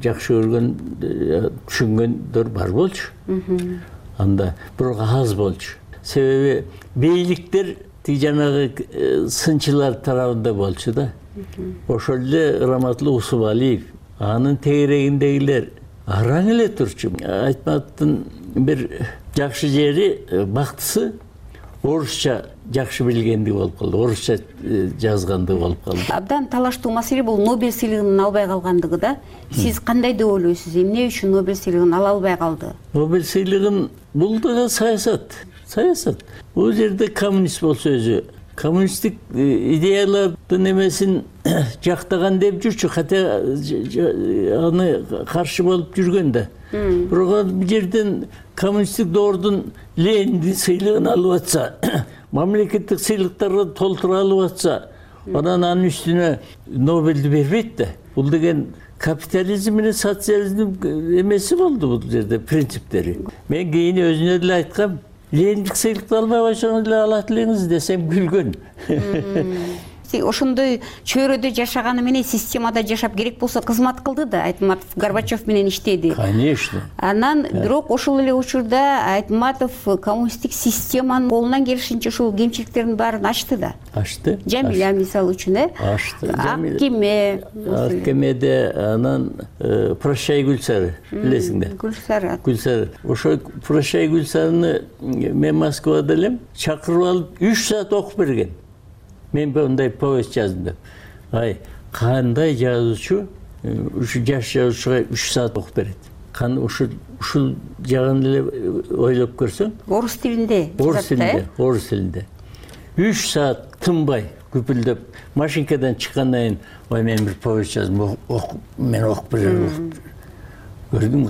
Speaker 8: жакшы көргөн, түшүнгөндөр бар болчу. Анда бирок аз болчу. Себеби бийликтер жанагы сынчылар тарабында болчу да. Ошол эле Раматлы Усубалиев, анын тегерегиндегилер араң эле турчу. Айтматовдун бир жакшы жери, бактысы орусча жакшы билгендиги болуп калды, орусча жазгандыгы болуп калды.
Speaker 7: Абдан талаштуу маселе бул Нобель сыйлыгын албай калгандыгы да. Сиз кандай деп ойлойсуз? Эмне үчүн Нобель сыйлыгын ала албай калды?
Speaker 8: Нобель сыйлыгын бул да саясат. Бул жерде коммунист болсо өзү, коммунисттик идеялардын эмесин жактаган деп жүрчү, хотя аны каршы болуп жүргөн да. Бирок бул жерден коммунисттик доордун Лениндин сыйлыгын алып атса, мамлекеттик сыйлыктарга толтура алып атса, анан анын үстүнө Нобелди бербейт да. Бул деген капитализм менен социализм эмеси болду бул жерде, принциптери. Мен кийин өзүнө деле айткам, Лениндик сыйлыкты албай койсоңуз эле алат элеңиз десем күлгөн.
Speaker 7: Ошондой чөйрөдө жашаганы менен системада жашап керек болсо кызмат кылды да. Айтматов Горбачев менен иштеди.
Speaker 8: Конечно.
Speaker 7: Анан бирок ошол эле учурда Айтматов коммунисттик системанын колунан келишинче ушул кемчиликтердин баарын ачты да.
Speaker 8: Ачты.
Speaker 7: Жамиля мисалы үчүн,
Speaker 8: Ачты.
Speaker 7: Аккеме,
Speaker 8: анан Прощай Гүлсары, билесиң да. Гүлсары. Ошо Прощай Гүлсарыны мен Москвада элем, чакырып алып 3 саат окуп берген. Мен мындай повесть жаздым деп. Ай, кандай жазуучу ушу жаш жазуучуга 3 саат окуп берет. ушул жагын эле ойлоп көрсөң,
Speaker 7: орус тилинде.
Speaker 8: Орус тилинде. 3 саат тынбай күпүлдөп машинкадан чыккандан кийин, ой мен бир повесть жаздым, мен окуп берем. Көрдүм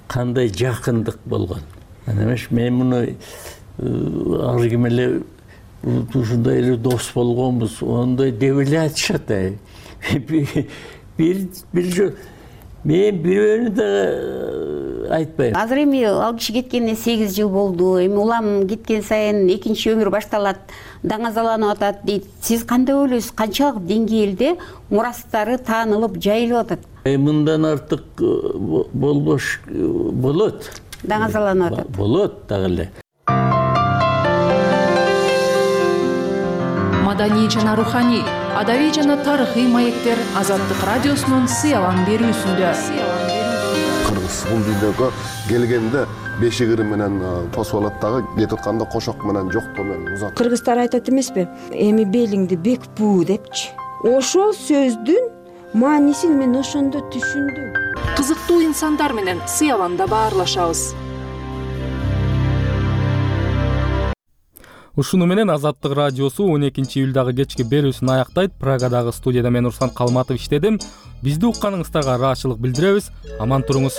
Speaker 8: кандай жакындык болгон. Эмеш, мен муну ар ким эле ушундай эле дос болгонбуз, ондай деп эле айтышат. Бир жол мен бирөөнү да айтпайм.
Speaker 7: Азыр эми ал киши кеткенине 8 жыл болду. Эми улам кеткен сайын экинчи өмүр башталат, даңазаланып атат дейт. Сиз кандай ойлойсуз? Канчалык деңгээлде мурастары таанылып, жайылып атат?
Speaker 8: Мындан артык болбош болот.
Speaker 7: Даңазаланып атат.
Speaker 8: Болот дагы эле.
Speaker 10: Маданий жана руханий, адабий жана тарыхый маектер Азаттык радиосунун сыялан берүүсүндө.
Speaker 11: Кыргыз бул дүйнөгө келгенде бешигири менен тосуп дагы кетип атканда кошок менен жоктоо менен узат.
Speaker 12: Кыргыздар айтат эмеспи? Эми белиңди бек буу депчи. Ошол сөздүн маанисин мен ошондо түшүндүм.
Speaker 10: Кызыктуу инсандар менен сыяланда баарлашабыз.
Speaker 1: Ушуну менен Азаттык радиосу 12-июлдагы кечки берүүсүн аяктайт. Прагадагы студияда мен Урсан Калматов иштедим. Бизди укканыңыздарга ыраазычылык билдиребиз. Аман туруңуз.